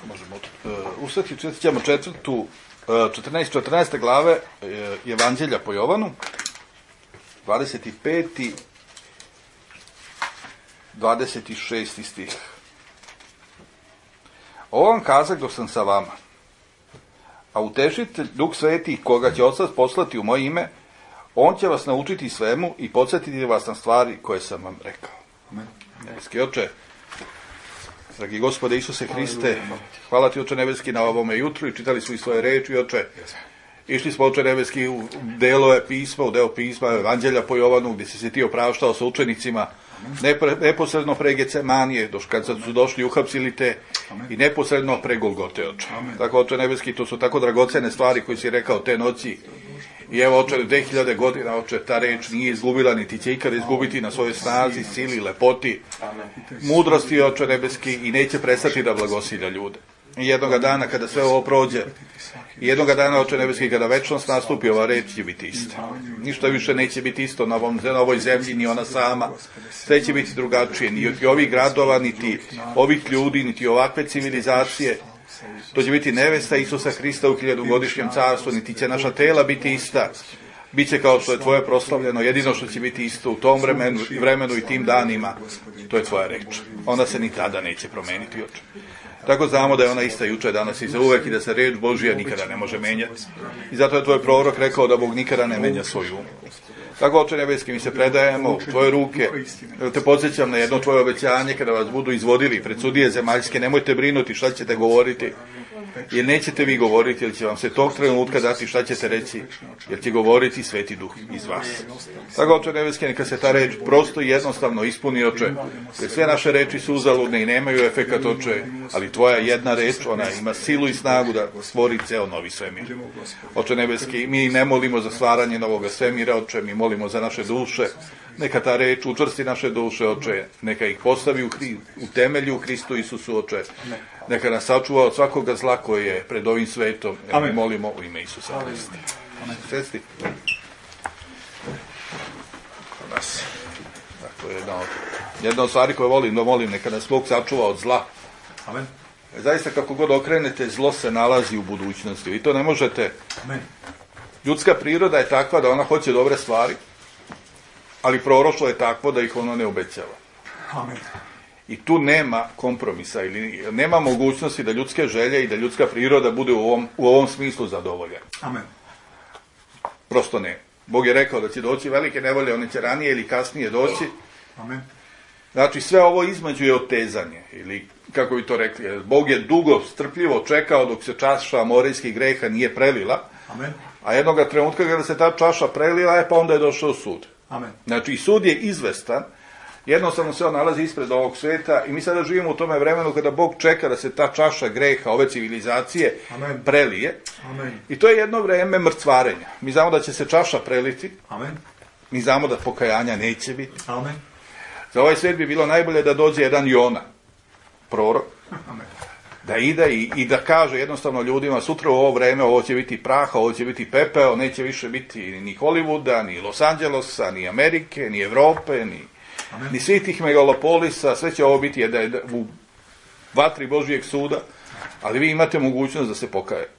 možemo ustati, ćemo 14. glave Evanđelja po Jovanu, 25. 26. stih. Ovo vam kazak dok sam sa vama, a utešitelj, Duh Sveti, koga će Otac poslati u moje ime, on će vas naučiti svemu i podsjetiti vas na stvari koje sam vam rekao. Nebeski Oče, dragi Gospode Isuse Hriste, hvala ti, Oče nebeski, na ovome jutru i čitali smo i svoje reči, Oče. Išli smo, Oče nebeski, u delove pisma, u deo pisma Evanđelja po Jovanu, gdje si se ti opraštao sa učenicima, neposredno pre Gecemanije, kad su došli, uhapsili te, i neposredno pre Golgote, Oče. Tako, Oče nebeski, to su tako dragocene stvari koje si rekao te noći. I evo, Oče, 2000 godina, Oče, ta reč nije izgubila, niti će ikada izgubiti na svojoj snazi, sili, lepoti, mudrosti, Oče nebeski, i neće prestati da blagosilja ljude. I jednoga dana, kada sve ovo prođe, i jednoga dana, Oče nebeski, kada večnost nastupi, ova reč će biti ista. Ništa više neće biti isto na ovoj zemlji, ni ona sama. Sve će biti drugačije, niti ovih gradova, niti ovih ljudi, niti ovakve civilizacije. To će biti nevesta Isusa Hrista u 1000-godišnjem carstvu, niti će naša tela biti ista. Biće kao što je tvoje proslavljeno, jedino što će biti isto u tom vremenu i tim danima, to je tvoja reč. Ona se ni tada neće promeniti, Oče. Tako znamo da je ona ista juče, danas i za uvek, i da se reč Božija nikada ne može menjati. I zato je tvoj prorok rekao da Bog nikada ne menja svoj um. Tako, Oče nebeski, mi se predajemo u tvoje ruke. Te podsjećam na jedno tvoje obećanje, kada vas budu izvodili pred sudije zemaljske, nemojte brinuti šta ćete govoriti, jer nećete vi govoriti, jer će vam se tog trenutka dati šta ćete reći, jer će govoriti Sveti Duh iz vas. Tako, Oče nebeski, neka se ta reč prosto i jednostavno ispuni, Oče, jer sve naše reči su uzaludne i nemaju efekat, Oče, ali tvoja jedna reč, ona ima silu i snagu da stvori ceo novi svemir. Oče nebeski, mi ne molimo za stvaranje novoga svemira, Oče, mi molimo za naše duše. Neka ta reč učvrsti naše duše, Oče, neka ih postavi u temelju u Hristu Isusu, Oče. Neka nas sačuva od svakoga zla koje je pred ovim svetom. Mi molimo u ime Isusa Hrista. Svesti. Dakle, jedna od stvari koje volim, neka nas Bog sačuva od zla. Amen. Zaista, kako god okrenete, zlo se nalazi u budućnosti. Vi to ne možete. Amen. Ljudska priroda je takva da ona hoće dobre stvari, ali proroštvo je takvo da ih ono ne obećava. Amen. I tu nema kompromisa, ili nema mogućnosti da ljudske želje i da ljudska priroda bude u ovom smislu zadovoljena. Amen. Prosto ne. Bog je rekao da će doći velike nevolje, one će ranije ili kasnije doći. Amen. Znači, sve ovo između je otezanje, ili kako bi to rekli, Bog je dugo, strpljivo čekao dok se čaša morijskih greha nije prelila. Amen. A jednoga trenutka kada se ta čaša prelila, pa onda je došao sud. Amen. Znači, sud je izvestan, jednostavno se on nalazi ispred ovog sveta i mi sada živimo u tome vremenu kada Bog čeka da se ta čaša greha, ove civilizacije, Amen, prelije. Amen. I to je jedno vreme mrcvarenja. Mi znamo da će se čaša preliti. Amen. Mi znamo da pokajanja neće biti. Amen. Za ovaj svet bi bilo najbolje da dođe jedan Jona, prorok, Amen, da ide i da kaže jednostavno ljudima, sutra u ovo vreme ovo će biti praha, ovo će biti pepeo, neće više biti ni Hollywooda, ni Los Angelesa, ni Amerike, ni Evrope, ni svih tih megalopolisa, sve će ovo biti u vatri Božijeg suda, ali vi imate mogućnost da se pokajete.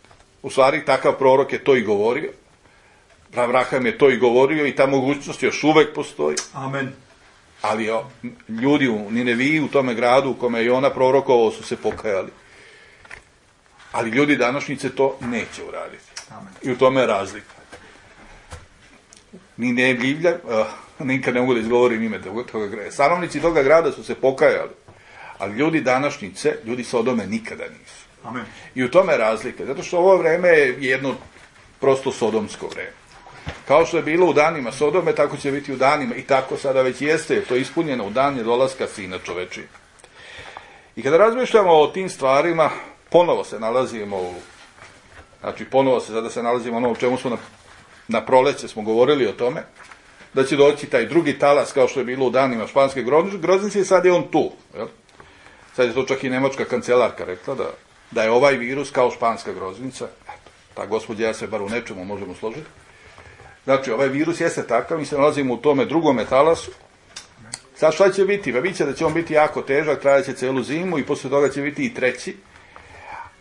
U stvari, takav prorok je to i govorio, Abraham je to i govorio i ta mogućnost još uvek postoji. Amen. Ali ljudi u Nineviji, u tome gradu u kome je ona prorokovao, su se pokajali. Ali ljudi današnjice to neće uraditi. Amen. I u tome je razlika. Ninevlja, nikad ne mogu da izgovorim ime toga grada. Stanovnici toga grada su se pokajali. Ali ljudi današnjice, ljudi Sodome nikada nisu. Amen. I u tome je razlika. Zato što ovo vreme je jedno prosto sodomsko vreme. Kao što je bilo u danima Sodome, tako će biti u danima, i tako sada već jeste, jer to je ispunjeno u dan dolaska Sina čovečiji. I kada razmišljamo o tim stvarima, ponovo se nalazimo sada se nalazimo ono o čemu smo na proleće smo govorili o tome, da će doći taj drugi talas, kao što je bilo u danima španske groznice, i sad je on tu. Jel? Sad je to čak i nemačka kancelarka rekla, da je ovaj virus kao španska groznica. Eto, ta gospođa, ja se bar u nečemu možemo složiti. Znači, ovaj virus jeste takav, mi se nalazimo u tome drugome talasu. Sad šta će biti? Pa bit će da će on biti jako težak, trajat će celu zimu i posle toga će biti i treći.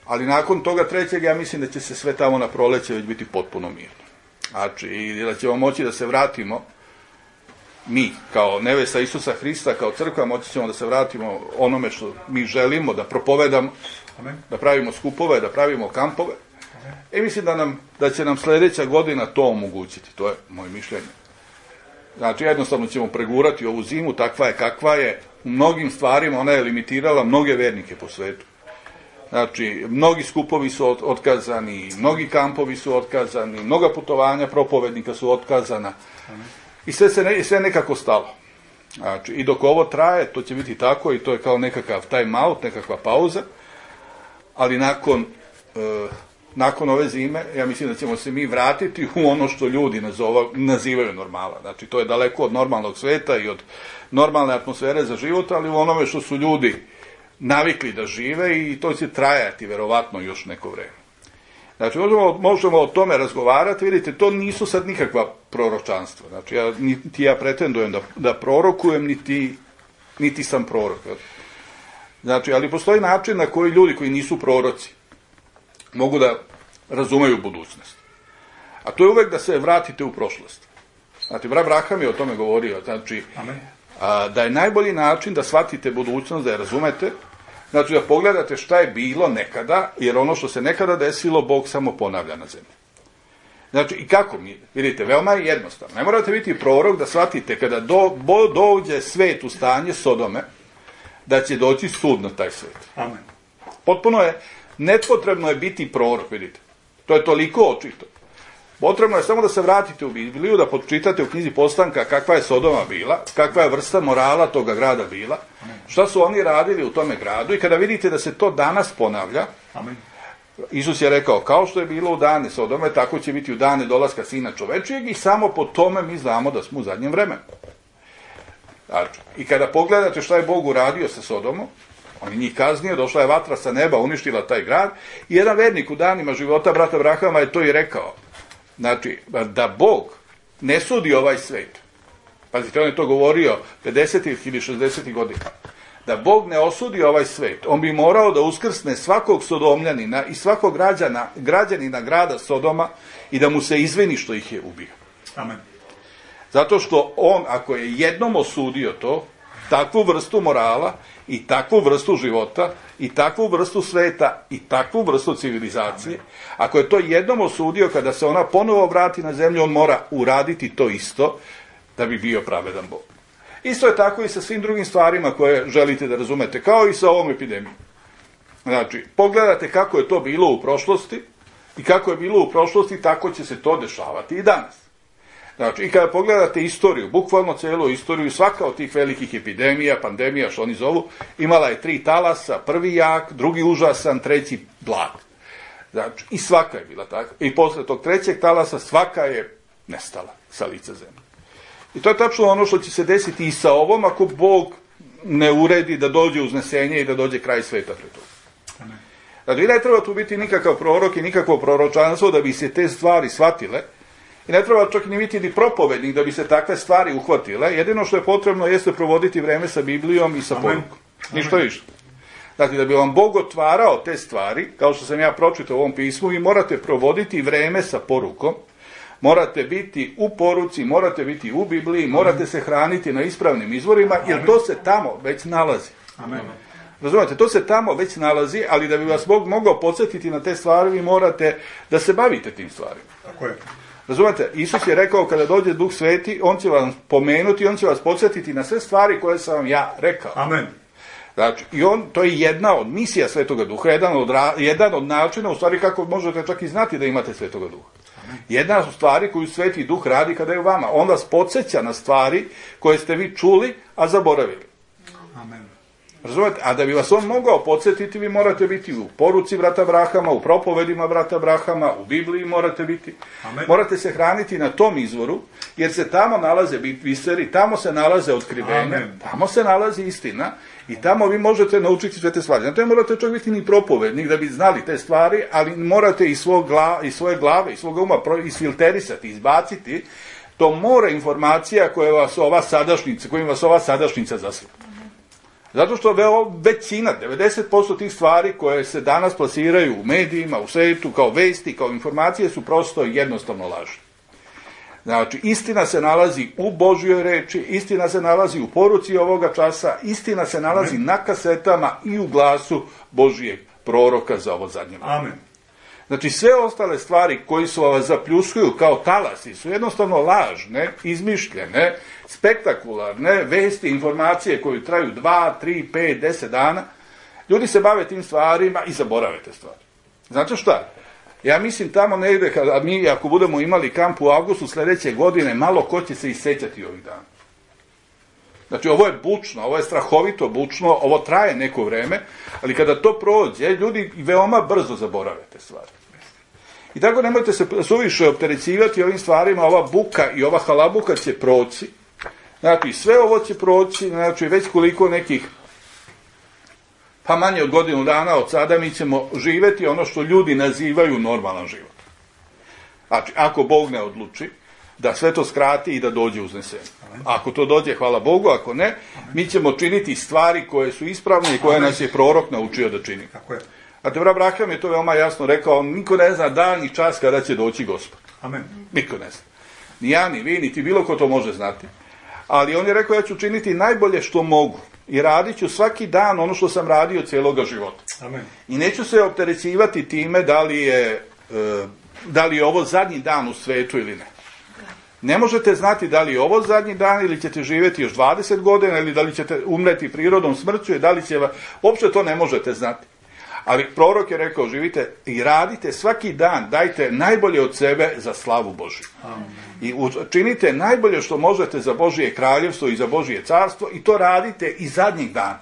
ali nakon toga trećeg ja mislim da će se sve tamo na proleće već biti potpuno mirno. Znači, i da ćemo moći da se vratimo, mi, kao nevesta Isusa Hrista, kao crkva, moći ćemo da se vratimo onome što mi želimo, da propovedamo, da pravimo skupove, da pravimo kampove. I mislim da će nam sljedeća godina to omogućiti, to je moje mišljenje. Znači, jednostavno ćemo pregurati ovu zimu, takva je kakva je, u mnogim stvarima ona je limitirala mnoge vernike po svetu. Znači, mnogi skupovi su otkazani, mnogi kampovi su otkazani, mnoga putovanja propovednika su otkazana i sve nekako stalo. Znači, i dok ovo traje, to će biti tako i to je kao nekakav time out, nekakva pauza, ali nakon ove zime, ja mislim da ćemo se mi vratiti u ono što ljudi nazivaju normala. Znači, to je daleko od normalnog sveta i od normalne atmosfere za život, ali u onome što su ljudi navikli da žive i to će trajati verovatno još neko vreme. Znači, možemo o tome razgovarati, vidite, to nisu sad nikakva proročanstva. Znači, niti ja pretendujem da prorokujem, niti sam prorok. Znači, ali postoji način na koji ljudi koji nisu proroci mogu da razumeju budućnost. A to je uvek da se vratite u prošlost. Znači, brat Abraham je o tome govorio. Znači, da je najbolji način da shvatite budućnost, da je razumete, znači da pogledate šta je bilo nekada, jer ono što se nekada desilo, Bog samo ponavlja na zemlji. Znači, i kako mi, vidite, veoma je jednostavno. Ne morate biti prorok da shvatite kada dođe svet u stanje Sodome, da će doći sud na taj svet. Amen. Potpuno je, nepotrebno je biti prorok, vidite. To je toliko očito. Potrebno je samo da se vratite u Bibliju, da pročitate u knjizi Postanka kakva je Sodoma bila, kakva je vrsta morala toga grada bila, šta su oni radili u tome gradu i kada vidite da se to danas ponavlja, Amen. Isus je rekao, kao što je bilo u dane Sodome, tako će biti u dane dolaska Sina čovečijeg i samo po tome mi znamo da smo u zadnjem vremenu. Znači, i kada pogledate šta je Bog uradio sa Sodomom, on je njih kaznio, došla je vatra sa neba, uništila taj grad i jedan vernik u danima života brata Abrahama je to i rekao. Znači, da Bog ne sudi ovaj svet, pazite, on je to govorio 50. ili 60. godina, da Bog ne osudi ovaj svet, on bi morao da uskrsne svakog sodomljanina i svakog građanina grada Sodoma i da mu se izvini što ih je ubio. Amen. Zato što on, ako je jednom osudio to, takvu vrstu morala i takvu vrstu života i takvu vrstu sveta i takvu vrstu civilizacije, ako je to jednom osudio, kada se ona ponovo vrati na zemlju, on mora uraditi to isto da bi bio pravedan Bog. Isto je tako i sa svim drugim stvarima koje želite da razumete, kao i sa ovom epidemijom. Znači, pogledate kako je to bilo u prošlosti i kako je bilo u prošlosti, tako će se to dešavati i danas. Znači, i kada pogledate istoriju, bukvalno celu istoriju, svaka od tih velikih epidemija, pandemija, što oni zovu, imala je 3 talasa, prvi jak, drugi užasan, treći blag. Znači, i svaka je bila tako. I posle tog trećeg talasa svaka je nestala sa lica zemlje. I to je tačno ono što će se desiti i sa ovom, ako Bog ne uredi da dođe uznesenje i da dođe kraj sveta pred toga. Znači, ne treba tu biti nikakav prorok i nikakvo proročanstvo da bi se te stvari shvatile. I ne treba čak ni biti ni propovednik da bi se takve stvari uhvatile. Jedino što je potrebno jeste provoditi vreme sa Biblijom i sa porukom. Ništa više. Dakle, da bi vam Bog otvarao te stvari, kao što sam ja pročitao u ovom pismu, vi morate provoditi vreme sa porukom, morate biti u poruci, morate biti u Bibliji, morate se hraniti na ispravnim izvorima, jer to se tamo već nalazi. Amen. Razumete, to se tamo već nalazi, ali da bi vas Bog mogao podsjetiti na te stvari, vi morate da se bavite tim stvarima. Tako je. Razumete, Isus je rekao kada dođe Duh Sveti, on će vam pomenuti, on će vas podsjetiti na sve stvari koje sam vam ja rekao. Amen. Znači, to je jedna od misija Svetoga Duha, jedan od načina, u stvari kako možete čak i znati da imate Svetoga Duha. Jedna od stvari koju Sveti Duh radi kada je u vama. On vas podsjeća na stvari koje ste vi čuli, a zaboravili. Amen. Razumete? A da bi vas on mogao podsjetiti, vi morate biti u poruci brata Abrahama, u propovedima brata Abrahama, u Bibliji morate biti. Amen. Morate se hraniti na tom izvoru, jer se tamo nalaze biseri, tamo se nalaze otkrivenja, Amen. tamo se nalazi istina i tamo vi možete naučiti sve te stvari. Znači, ne morate čak biti ni propovednik da bi znali te stvari, ali morate iz svoje glave, iz svoga uma isfilterisati, izbaciti to more informacija kojim vas ova sadašnjica zaslupa. Zato što većina, 90% tih stvari koje se danas plasiraju u medijima, u svetu, kao vesti, kao informacije, su prosto jednostavno lažne. Znači, istina se nalazi u Božjoj reči, istina se nalazi u poruci ovoga časa, istina se nalazi na kasetama i u glasu Božijeg proroka za ovo zadnje vreme. Amen. Znači, sve ostale stvari koji su vas zapljuskuju kao talasi su jednostavno lažne, izmišljene, spektakularne, vesti, informacije koje traju 2, 3, 5, 10 dana. Ljudi se bave tim stvarima i zaborave te stvari. Znate šta? Ja mislim tamo negde, kada mi, ako budemo imali kamp u avgustu sljedeće godine, malo ko će se issećati ovih dana. Znači, ovo je bučno, ovo je strahovito bučno, ovo traje neko vreme, ali kada to prođe, ljudi veoma brzo zaborave te stvari. I tako nemojte se suviše opterećivati ovim stvarima, ova buka i ova halabuka će proći. Znači, sve ovo će proći, znači, već koliko nekih, pa manje od godinu dana od sada mi ćemo živjeti ono što ljudi nazivaju normalan život. Znači, ako Bog ne odluči da sve to skrati i da dođe uznesenje. Ako to dođe, hvala Bogu, ako ne, mi ćemo činiti stvari koje su ispravne i koje nas je prorok naučio da čini. Tako je. A te Abraham je to veoma jasno rekao, niko ne zna dan ni čas kada će doći Gospod. Amen. Niko ne zna. Ni ja, ni vi, niti bilo ko to može znati. Ali on je rekao, ja ću činiti najbolje što mogu i radit ću svaki dan ono što sam radio cijeloga života. Amen. I neću se opterećivati time da li je ovo zadnji dan u svetu ili ne. Ne možete znati da li je ovo zadnji dan ili ćete živjeti još 20 godina ili da li ćete umreti prirodom smrću i da li će uopće to ne možete znati. Ali prorok je rekao, živite i radite svaki dan, dajte najbolje od sebe za slavu Božju. I činite najbolje što možete za Božje kraljevstvo i za Božje carstvo i to radite i zadnjih dana.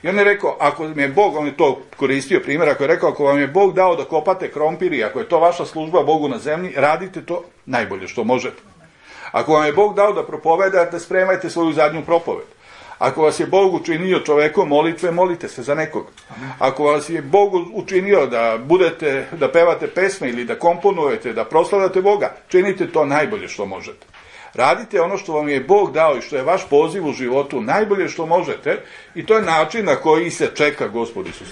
I on je rekao, ako mi je Bog, on je to koristio primjer, ako je rekao, ako vam je Bog dao da kopate krompir i ako je to vaša služba Bogu na zemlji, radite to najbolje što možete. Ako vam je Bog dao da propovedate, spremajte svoju zadnju propoved. Ako vas je Bog učinio čovekom molitve, molite se za nekoga. Ako vas je Bog učinio da pevate pesme ili da komponujete, da proslavljate Boga, činite to najbolje što možete. Radite ono što vam je Bog dao i što je vaš poziv u životu najbolje što možete i to je način na koji se čeka Gospod Isus.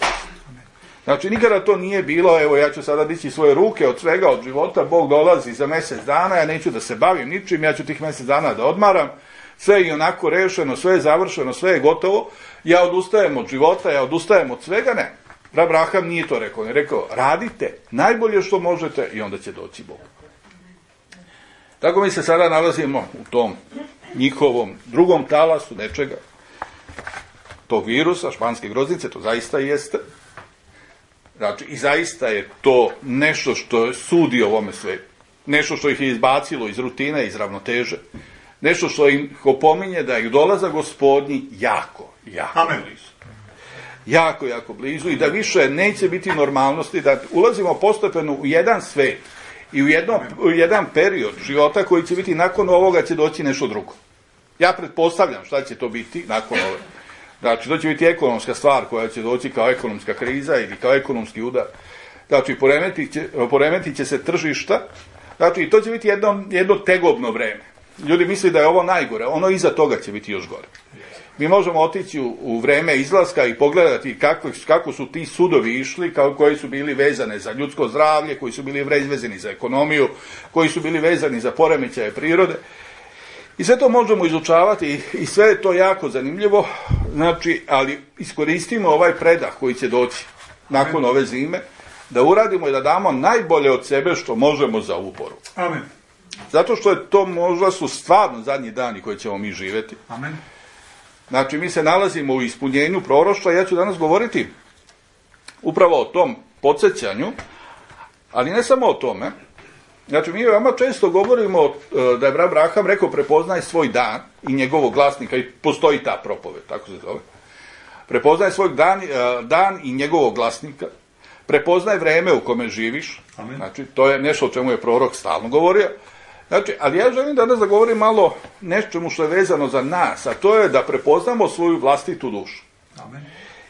Znači, nikada to nije bilo, evo ja ću sada dići svoje ruke od svega, od života, Bog dolazi za mjesec dana, ja neću da se bavim ničim, ja ću tih mjesec dana da odmaram, sve je onako rešeno, sve je završeno, sve je gotovo, ja odustajem od života, ja odustajem od svega, ne. Abraham nije to rekao, on je rekao, radite najbolje što možete i onda će doći Bog. Tako mi se sada nalazimo u tom njihovom drugom talasu nečega, tog virusa, španske groznice, to zaista jeste. Znači, i zaista je to nešto što sudi ovome svetu. Nešto što ih je izbacilo iz rutine, iz ravnoteže. Nešto što im opominje da ih dolaza Gospodnji jako blizu. Jako blizu i da više neće biti normalnosti, da ulazimo postepeno u jedan svet i u jedan period života koji će biti nakon ovoga će doći nešto drugo. Ja pretpostavljam šta će to biti nakon ovoga. Znači, to će biti ekonomska stvar koja će doći kao ekonomska kriza ili kao ekonomski udar. Znači, poremetit će se tržišta. Znači, to će biti jedno tegobno vreme. Ljudi misle da je ovo najgore, ono iza toga će biti još gore. Mi možemo otići u vreme izlaska i pogledati kako su ti sudovi išli, koji su bili vezane za ljudsko zdravlje, koji su bili vezani za ekonomiju, koji su bili vezani za poremećaje prirode. I sve to možemo izučavati i sve je to jako zanimljivo, znači, ali iskoristimo ovaj predah koji će doći nakon ove zime, da uradimo i da damo najbolje od sebe što možemo za ovu poruku. Amen. Zato što je to možda su stvarno zadnji dani koji ćemo mi živjeti. Amen. Znači, mi se nalazimo u ispunjenju proroštva, ja ću danas govoriti upravo o tom podsjećanju, ali ne samo o tome. Znači, mi veoma često govorimo da je Abraham rekao prepoznaj svoj dan i njegovog glasnika i postoji ta propoved, tako se zove. Prepoznaj svoj dan i njegovog glasnika, prepoznaj vreme u kome živiš. Amen. Znači, to je nešto o čemu je prorok stalno govorio. Znači, ali ja želim danas da govorim malo nečemu što je vezano za nas, a to je da prepoznamo svoju vlastitu dušu. Amen.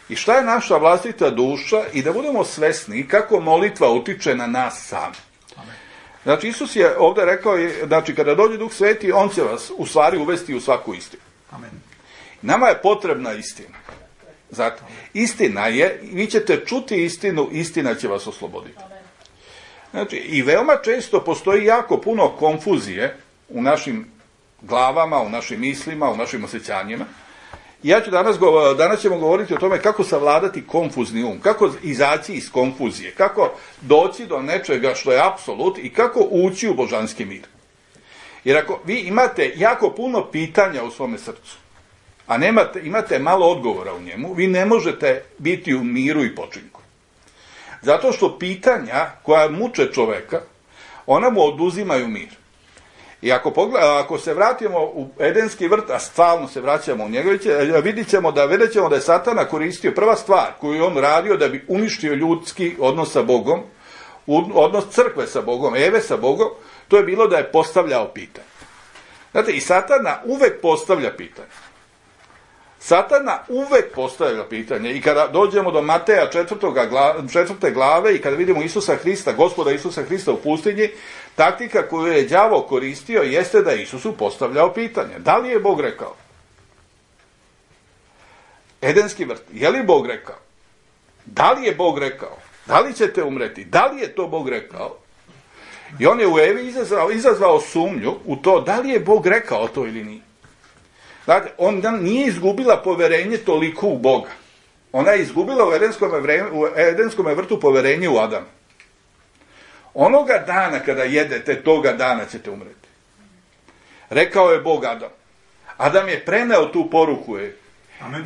I šta je naša vlastita duša i da budemo svesni kako molitva utiče na nas sami. Znači, Isus je ovdje rekao, znači, kada dođe Duh Sveti, on će vas u stvari uvesti u svaku istinu. Amen. Nama je potrebna istina. Zato, istina je, vi ćete čuti istinu, istina će vas osloboditi. Znači, i veoma često postoji jako puno konfuzije u našim glavama, u našim mislima, u našim osjećanjima. Ja ću danas ćemo govoriti o tome kako savladati konfuzni um, kako izaći iz konfuzije, kako doći do nečega što je apsolut i kako ući u božanski mir. Jer ako vi imate jako puno pitanja u svome srcu, a imate malo odgovora u njemu, vi ne možete biti u miru i počinku. Zato što pitanja koja muče čoveka, ona mu oduzimaju mir. I ako se vratimo u Edenski vrt, a stalno se vraćamo u njega, vidjet ćemo da je Satana koristio prva stvar koju je on radio da bi uništio ljudski odnos sa Bogom, odnos crkve sa Bogom, Eve sa Bogom, to je bilo da je postavljao pitanje. Znate, i Satana uvek postavlja pitanje. Satana uvek postavlja pitanje i kada dođemo do Mateja 4. glave i kada vidimo Isusa Hrista, Gospoda Isusa Hrista u pustinji, taktika koju je đavo koristio jeste da Isusu postavljao pitanje. Da li je Bog rekao? Edenski vrt, je li Bog rekao? Da li je Bog rekao? Da li ćete umreti? Da li je to Bog rekao? I on je u Evi izazvao sumnju u to da li je Bog rekao to ili nije. Dakle, ona nije izgubila poverenje toliko u Boga. Ona je izgubila u Edenskom vrtu poverenje u Adama. Onoga dana kada jedete, toga dana ćete umreti. Rekao je Bog Adam. Adam je preneo tu poruku Evi.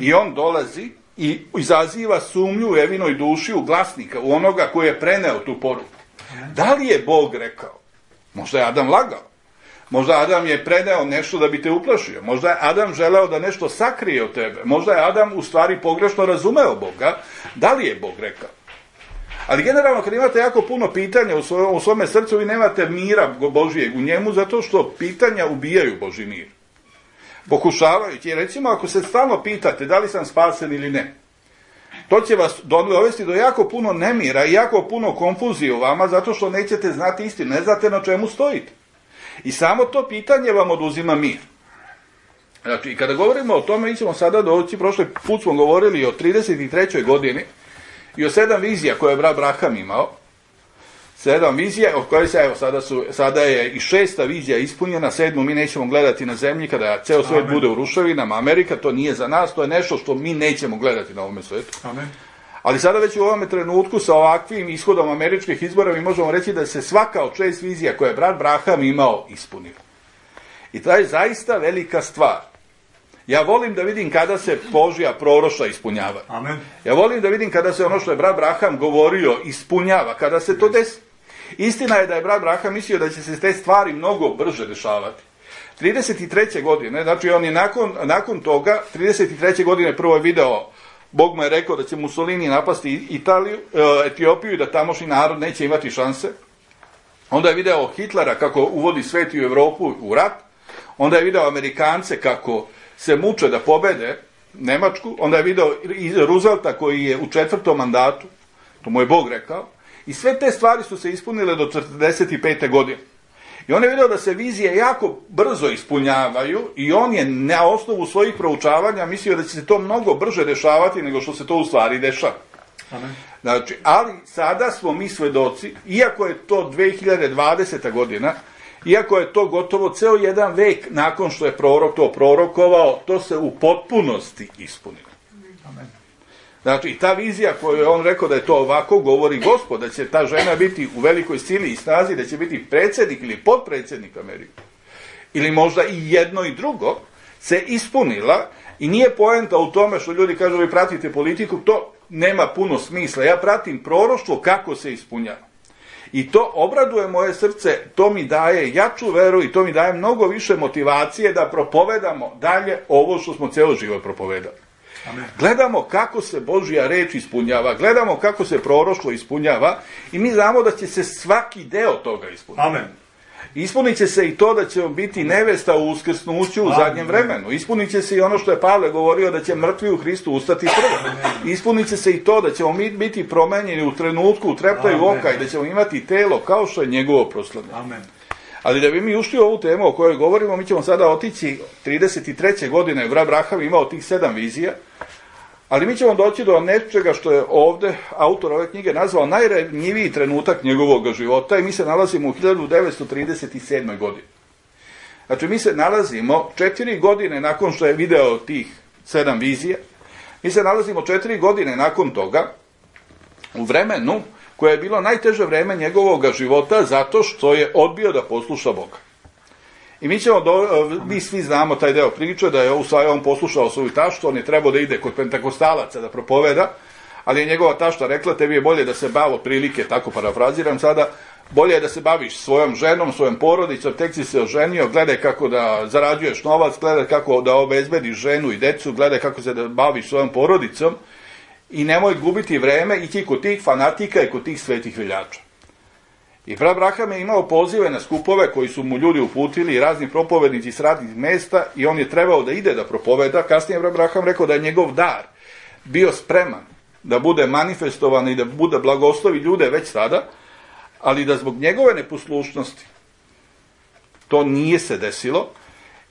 I on dolazi i izaziva sumnju u Evinoj duši, u glasnika, u onoga koji je preneo tu poruku. Da li je Bog rekao? Možda je Adam lagao. Možda Adam je preneo nešto da bi te uplašio. Možda je Adam želeo da nešto sakrije od tebe. Možda je Adam u stvari pogrešno razumeo Boga. Da li je Bog rekao? Ali generalno kad imate jako puno pitanja u svome srcu, vi nemate mira Božijeg u njemu, zato što pitanja ubijaju Božji mir. Pokušavajući, recimo ako se stalno pitate da li sam spasen ili ne, to će vas dovesti do jako puno nemira i jako puno konfuzije u vama, zato što nećete znati istinu, ne znate na čemu stojite. I samo to pitanje vam oduzima mir. Znači, i kada govorimo o tome, mi ćemo sada doći, prošli put smo govorili o 33. godini i o 7 vizija koje je brat Braham imao. 7 vizija, od koje se, evo, sada je i 6. vizija ispunjena, 7. mi nećemo gledati na zemlji, kada ceo svet bude u ruševinama. Amerika, to nije za nas, to je nešto što mi nećemo gledati na ovome svetu. Amen. Ali sada već u ovome trenutku sa ovakvim ishodom američkih izbora mi možemo reći da se svaka od 6 vizija koje je brat Braham imao ispunila. I to je zaista velika stvar. Ja volim da vidim kada se Božja proroštva ispunjava. Amen. Ja volim da vidim kada se ono što je brat Braham govorio ispunjava, kada se to desi. Istina je da je brat Braham mislio da će se te stvari mnogo brže dešavati. 33. godine, znači on je nakon toga, 33. godine prvo je video, Bog mu je rekao da će Mussolini napasti Etiopiju i da tamošnji narod neće imati šanse. Onda je video Hitlera kako uvodi svet i u Evropu u rat. Onda je video Amerikance kako se muče da pobede Nemačku. Onda je video Roosevelta koji je u 4. mandatu. To mu je Bog rekao. I sve te stvari su se ispunile do 45. godine. I on je video da se vizije jako brzo ispunjavaju i on je na osnovu svojih proučavanja mislio da će se to mnogo brže dešavati nego što se to u stvari dešava. Amen. Znači, ali sada smo mi svedoci, iako je to 2020. godina, iako je to gotovo ceo jedan vek nakon što je prorok to prorokovao, to se u potpunosti ispunilo. Amen. Znači, ta vizija koju je on rekao da je to ovako, govori Gospod, da će ta žena biti u velikoj sili i snazi, da će biti predsjednik ili potpredsjednik Amerike, ili možda i jedno i drugo, se ispunila i nije poenta u tome što ljudi kažu vi pratite politiku, to nema puno smisla. Ja pratim proroštvo kako se ispunjava. I to obraduje moje srce, to mi daje jaču veru i to mi daje mnogo više motivacije da propovedamo dalje ovo što smo ceo život propovedali. Amen. Gledamo kako se Božja reč ispunjava, gledamo kako se proroštvo ispunjava i mi znamo da će se svaki deo toga ispuniti. Amen. Ispunit će se i to da ćemo biti nevesta u uskrsnuću u zadnjem vremenu. Ispunit će se i ono što je Pavle govorio da će mrtvi u Hristu ustati prvo. Ispunit će se i to da ćemo biti promenjeni u trenutku, u treptaju oka i da ćemo imati telo kao što je njegovo proslavljeno. Amen. Ali da bi mi ušli u ovu temu o kojoj govorimo, mi ćemo sada otići 33. godine, brat Braham imao tih 7 vizija, Ali mi ćemo doći do nečega što je ovde autor ove knjige nazvao najranjiviji trenutak njegovog života i mi se nalazimo u 1937. godini. Znači, mi se nalazimo 4 godine nakon što je video tih 7 vizija, mi se nalazimo 4 godine nakon toga u vremenu koje je bilo najteže vreme njegovog života zato što je odbio da posluša Boga. I mi svi znamo taj deo priče, da je on poslušao svoju taštu, on je trebao da ide kod pentakostalaca da propoveda, ali je njegova tašta rekla, tebi je bolje da se bavi otprilike, tako parafraziram sada, bolje je da se baviš svojom ženom, svojom porodicom, tek si se oženio, gledaj kako da zarađuješ novac, gledaj kako da obezbediš ženu i decu, gledaj kako se da baviš svojom porodicom i nemoj gubiti vreme i kod tih fanatika i kod tih svetih veljača. I Fra Braham je imao pozive na skupove koji su mu ljudi uputili i razni propovednici s radnih mesta i on je trebao da ide da propoveda. Kasnije Fra Braham rekao da je njegov dar bio spreman da bude manifestovan i da bude blagoslovi ljude već tada, ali da zbog njegove neposlušnosti to nije se desilo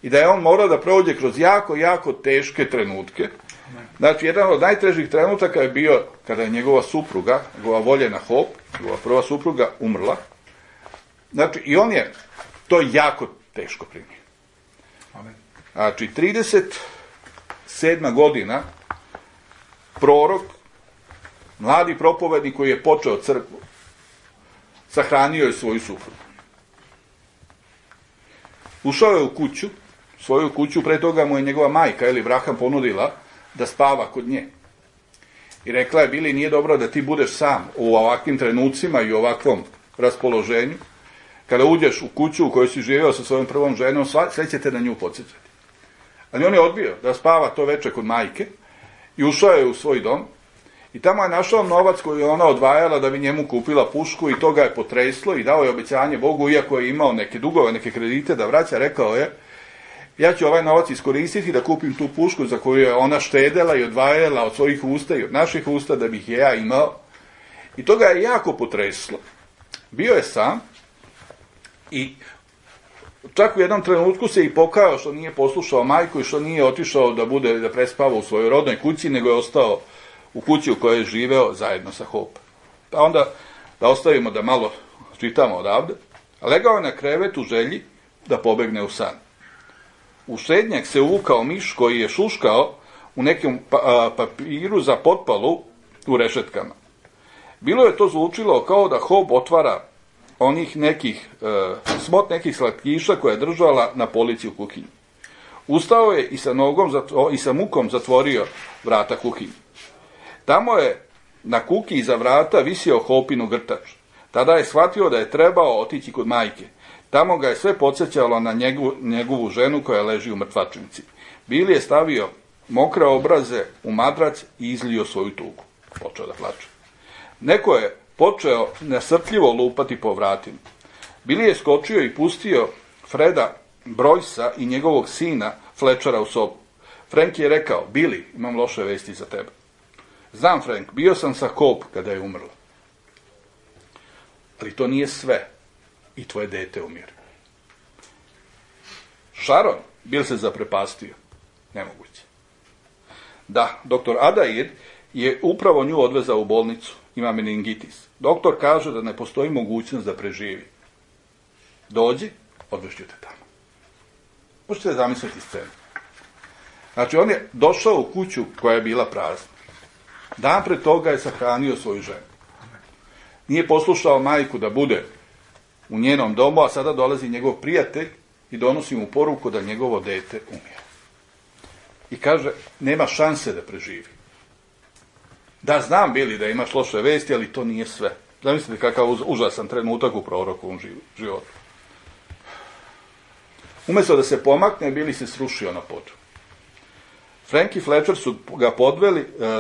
i da je on morao da prođe kroz jako, jako teške trenutke. Znači, jedan od najtežih trenutaka je bio kada je njegova supruga, njegova voljena Hope, njegova prva supruga, umrla. Znači, i on je to jako teško primio. Znači, 37. godina, prorok, mladi propovednik koji je počeo crkvu, sahranio je svoju suprugu. Ušao je u kuću, svoju kuću, pre toga mu je njegova majka, Eli Braham, ponudila da spava kod nje. I rekla je, Bili, nije dobro da ti budeš sam u ovakvim trenucima i u ovakvom raspoloženju. Kada uđeš u kuću u kojoj si živeo sa svojom prvom ženom, sve će te na nju podsjećati. Ali on je odbio da spava to veče kod majke i ušao je u svoj dom i tamo je našao novac koji je ona odvajala da bi njemu kupila pušku i to ga je potreslo i dao je obećanje Bogu, iako je imao neke dugove, neke kredite da vraća, rekao je, ja ću ovaj novac iskoristiti da kupim tu pušku za koju je ona štedela i odvajala od svojih usta i od naših usta da bih je ja imao. I to ga je jako potreslo. Bio je sam i čak u jednom trenutku se i pokajao što nije poslušao majku i što nije otišao da prespava u svojoj rodnoj kući, nego je ostao u kući u kojoj je živeo zajedno sa Hope. Pa onda da ostavimo da malo čitamo odavde. Legao je na krevet u želji da pobegne u san. U štednjak se uvukao miš koji je šuškao u nekom papiru za potpalu u rešetkama. Bilo je to zvučilo kao da Hope otvara onih nekih smot nekih slatkiša koje je držala na polici u kuhinji. Ustao je i sa mukom zatvorio vrata kuhinje. Tamo je na kuki iza vrata visio Hopinu grtač. Tada je shvatio da je trebao otići kod majke. Tamo ga je sve podsjećalo na njegovu ženu koja leži u mrtvačnici. Bili je stavio mokre obraze u madrac i izlio svoju tugu. Počeo da plače. Neko je počeo nasrtljivo lupati po vratima. Bili je skočio i pustio Freda Brojsa i njegovog sina Fletchera u sobu. Frank je rekao, Bili, imam loše vesti za tebe. Znam, Frank, bio sam sa Hope kada je umrla. Ali to nije sve. I tvoje dete umire. Sharon, Bill se zaprepastio. Nemoguće. Da, doktor Adair je upravo nju odvezao u bolnicu. Ima meningitis. Doktor kaže da ne postoji mogućnost da preživi. Dođi, odvešću te tamo. Možete zamisliti scenu. Znači, on je došao u kuću koja je bila prazna. Dan pre toga je sahranio svoju ženu. Nije poslušao majku da bude u njenom domu, a sada dolazi njegov prijatelj i donosi mu poruku da njegovo dete umire. I kaže, nema šanse da preživi. Da, znam, Bili, da imaš loše vesti, ali to nije sve. Zamislite kakav užasan trenutak u prorokovom životu. Umjesto da se pomakne, Bili se srušio na pod. Frank i Fletcher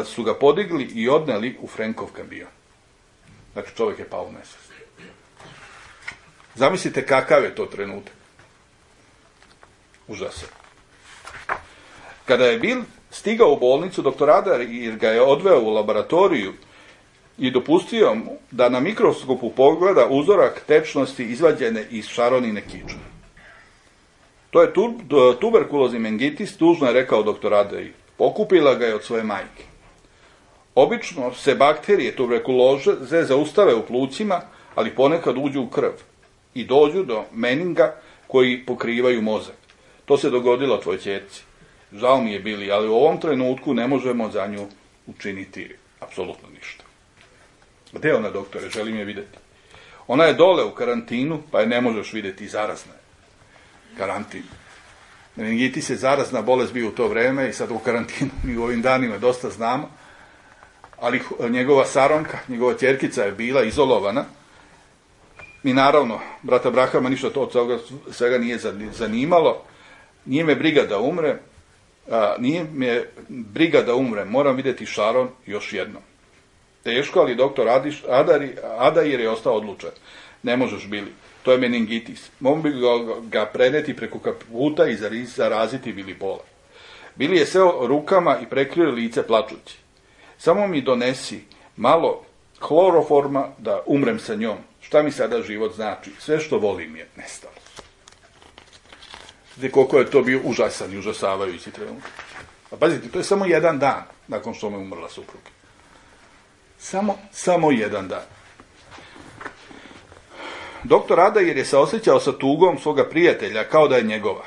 su ga podigli i odneli u Frankov kamion. Znači, čovjek je pao u nesvest. Zamislite kakav je to trenutak. Užasan. Kada je Bill stigao u bolnicu, doktor Adair ga je odveo u laboratoriju i dopustio mu da na mikroskopu pogleda uzorak tečnosti izvađene iz Sharonine kičme. To je tuberkulozni meningitis, tužno je rekao doktor Adair. Pokupila ga je od svoje majke. Obično se bakterije tuberkuloze zaustave u plućima, ali ponekad uđu u krv i dođu do meninga koji pokrivaju mozak. To se dogodilo tvoj ćerci. Žao mi je bili, ali u ovom trenutku ne možemo za nju učiniti apsolutno ništa. Gde je ona, doktore? Želim je vidjeti. Ona je dole u karantinu, pa je ne možeš vidjeti, zarazna. Karantin. Meningitis je zarazna bolest bio u to vreme i sad u karantinu mi u ovim danima dosta znamo, ali njegova saronka, njegova ćerkica je bila izolovana i naravno, brata Brahama ništa to od toga svega nije zanimalo. Nije me briga da umre, moram vidjeti Sharon još jednom. Teško, ali doktor Adair je ostao odlučan. Ne možeš, Bili, to je meningitis. Mogu bi ga preneti preko kaputa i zaraziti Bili Pola. Bili je seo rukama i prekrio lice plačući. Samo mi donesi malo hloroforma da umrem sa njom. Šta mi sada život znači? Sve što volim je nestalo. Znate koliko je to bio užasan i užasavajući trenutak. A pazite, to je samo jedan dan nakon što me umrla supruga. Samo jedan dan. Doktor Adair je se osjećao sa tugom svoga prijatelja kao da je njegova.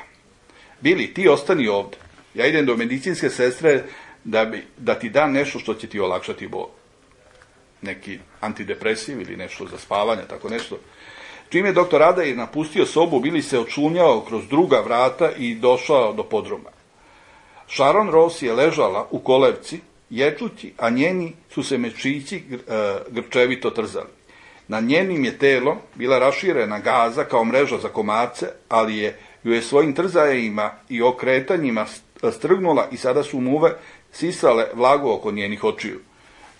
Bili, ti ostani ovdje. Ja idem do medicinske sestre da ti dam nešto što će ti olakšati bol. Neki antidepresiv ili nešto za spavanje, tako nešto. Čim je doktor Adair napustio sobu, Bili se očunjao kroz druga vrata i došao do podruma. Sharon Rose je ležala u kolevci, ječući, a njeni su se mečići grčevito trzali. Na njenim je telo bila raširena gaza kao mreža za komarce, ali ju je svojim trzajima i okretanjima strgnula i sada su muve sisale vlagu oko njenih očiju.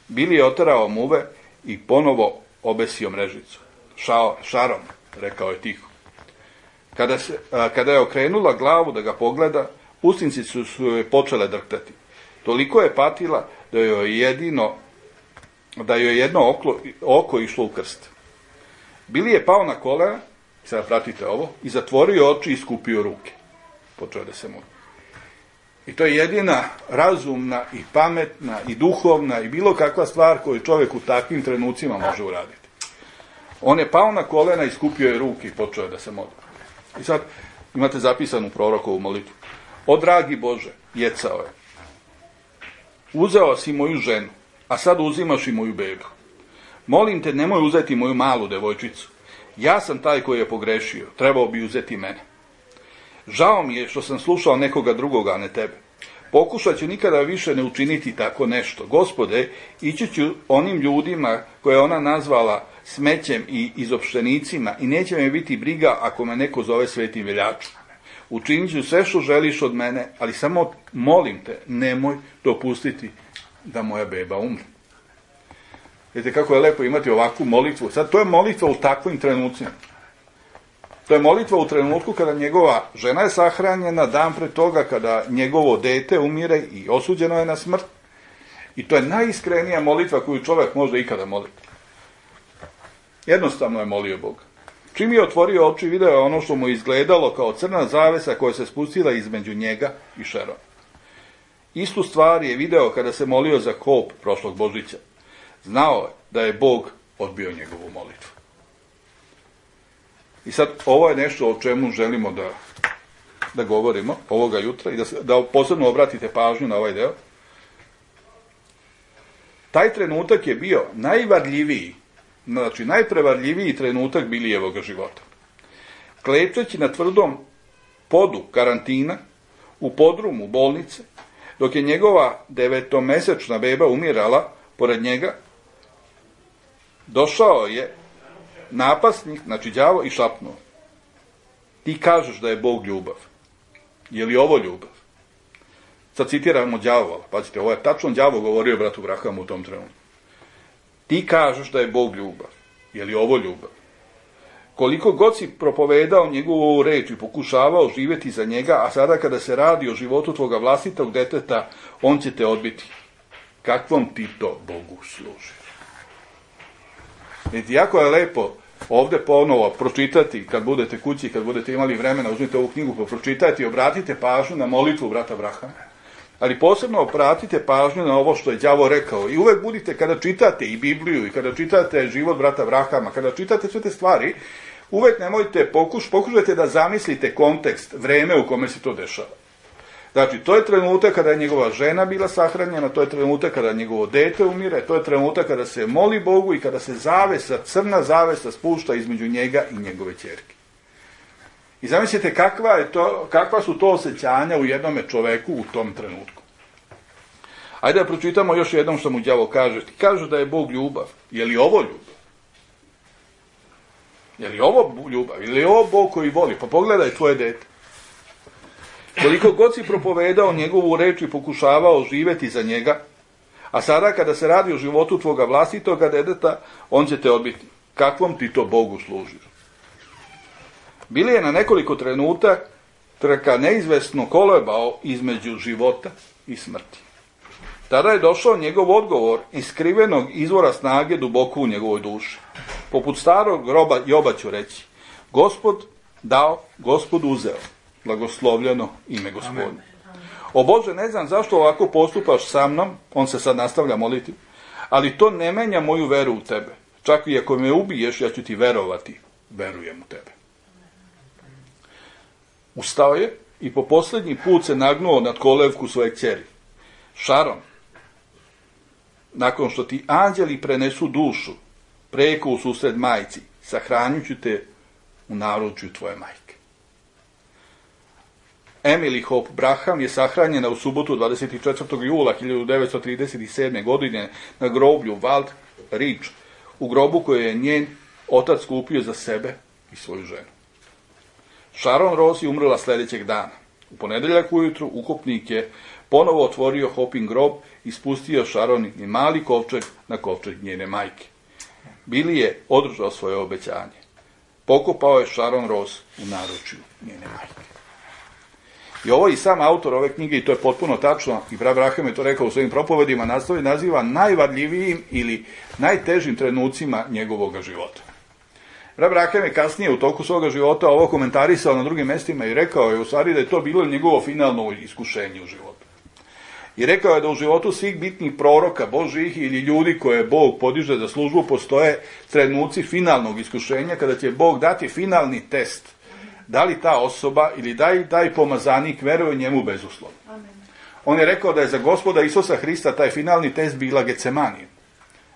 Bili je oterao muve i ponovo obesio mrežicu. Sharon, rekao je tiho. Kada je okrenula glavu da ga pogleda, usnici su joj počele drhtati. Toliko je patila da joj jedno oko išlo u krst. Bili je pao na kolena, sada pratite ovo, i zatvorio oči i skupio ruke. Počeo da se moli. I to je jedina razumna i pametna i duhovna i bilo kakva stvar koju čovjek u takvim trenucima može uraditi. On je pao na kolena i skupio je ruke i počeo da se moli. I sad imate zapisanu prorokovu molitvu. O dragi Bože, jecao je. Uzeo si moju ženu, a sad uzimaš i moju bebu. Molim te, nemoj uzeti moju malu devojčicu. Ja sam taj koji je pogrešio, trebao bi uzeti mene. Žao mi je što sam slušao nekoga drugoga, a ne tebe. Pokušat ću nikada više ne učiniti tako nešto. Gospode, ići ću onim ljudima koje ona nazvala smećem i izopštenicima i neće me biti briga ako me neko zove svetim veljačom. Učinit ću sve što želiš od mene, ali samo molim te, nemoj dopustiti da moja beba umre. Vidite kako je lepo imati ovakvu molitvu. Sad, to je molitva u takvim trenucima. To je molitva u trenutku kada njegova žena je sahranjena, dan pred toga kada njegovo dete umire i osuđeno je na smrt. I to je najiskrenija molitva koju čovjek može ikada moliti. Jednostavno je molio Boga. Čim je otvorio oči, video je ono što mu izgledalo kao crna zavesa koja se spustila između njega i Sharon. Istu stvar je video kada se molio za kop prošlog Božića. Znao je da je Bog odbio njegovu molitvu. I sad, ovo je nešto o čemu želimo da govorimo ovoga jutra i da posebno obratite pažnju na ovaj deo. Taj trenutak je bio najvarljiviji, znači najprevarljiviji trenutak Bilijevog života. Klečeći na tvrdom podu karantina, u podrumu bolnice, dok je njegova 9-mesečna beba umirala pored njega, došao je napasnik, znači đavo, i šapnuo. Ti kažeš da je Bog ljubav. Je li ovo ljubav? Sad citiramo đavola. Pazite, ovo je tačno đavo govorio bratu Brahamu u tom trenutku. Ti kažeš da je Bog ljubav. Je li ovo ljubav? Koliko god si propovedao njegovu reč i pokušavao živjeti za njega, a sada kada se radi o životu tvoga vlastitog deteta, on će te odbiti. Kakvom ti to Bogu služi? Vidite, jako je lepo ovdje ponovo pročitati, kad budete kući, kad budete imali vremena, uzmite ovu knjigu pa pročitajte i obratite pažnju na molitvu brata Brahama. Ali posebno obratite pažnju na ovo što je đavo rekao. I uvek budite, kada čitate i Bibliju, i kada čitate život brata Abrahama, kada čitate sve te stvari, uvek nemojte, pokušajte da zamislite kontekst, vreme u kome se to dešava. Znači, to je trenutak kada je njegova žena bila sahranjena, to je trenutak kada njegovo dete umire, to je trenutak kada se moli Bogu i kada se zavesa, crna zavesa spušta između njega i njegove ćerke. I zamislite kakva su to osjećanja u jednome čoveku u tom trenutku. Ajde da pročitamo još jednom što mu đavo kaže. Ti kaže da je Bog ljubav. Je li ovo ljubav? Je li ovo ljubav? Je li ovo Bog koji voli? Pa pogledaj tvoje dete. Koliko god si propovedao njegovu reč i pokušavao živeti za njega, a sada kada se radi o životu tvoga vlastitoga deteta, on će te odbiti. Kakvom ti to Bogu služiš? Bili je na nekoliko trenutaka neizvesno kolebao između života i smrti. Tada je došao njegov odgovor iz skrivenog izvora snage duboko u njegovoj duši. Poput starog groba Joba ću reći, Gospod dao, Gospod uzeo, blagoslovljeno ime Gospodnje. O Bože, ne znam zašto ovako postupaš sa mnom, on se sad nastavlja moliti, ali to ne menja moju veru u tebe. Čak i ako me ubiješ, ja ću ti verovati, verujem u tebe. Ustao je i po posljednji put se nagnuo nad kolevku svoje kćeri. Šaron, nakon što ti anđeli prenesu dušu, preko u susred majci, sahranit ću te u naručju tvoje majke. Emily Hope Braham je sahranjena u subotu 24. jula 1937. godine na groblju Wald Ridge, u grobu koje je njen otac kupio za sebe i svoju ženu. Sharon Rose je umrla sljedećeg dana. U ponedeljak ujutru ukopnik je ponovo otvorio Hopin grob i spustio Sharonin mali kovčeg na kovčeg njene majke. Billy je održao svoje obećanje. Pokopao je Sharon Rose u naručju njene majke. I ovo i sam autor ove knjige, i to je potpuno tačno, i brat Abraham je to rekao u svojim propovedima, naziva najvarljivijim ili najtežim trenucima njegovog života. Brat Abraham je kasnije u toku svoga života ovo komentarisao na drugim mjestima i rekao je u stvari da je to bilo njegovo finalno iskušenje u životu. I rekao je da u životu svih bitnih proroka Božjih ili ljudi koje Bog podiže za službu postoje trenuci finalnog iskušenja kada će Bog dati finalni test. Da li ta osoba ili da pomazanik veruje njemu bezuslovno. Amen. On je rekao da je za Gospoda Isusa Hrista taj finalni test bila Getsemanija.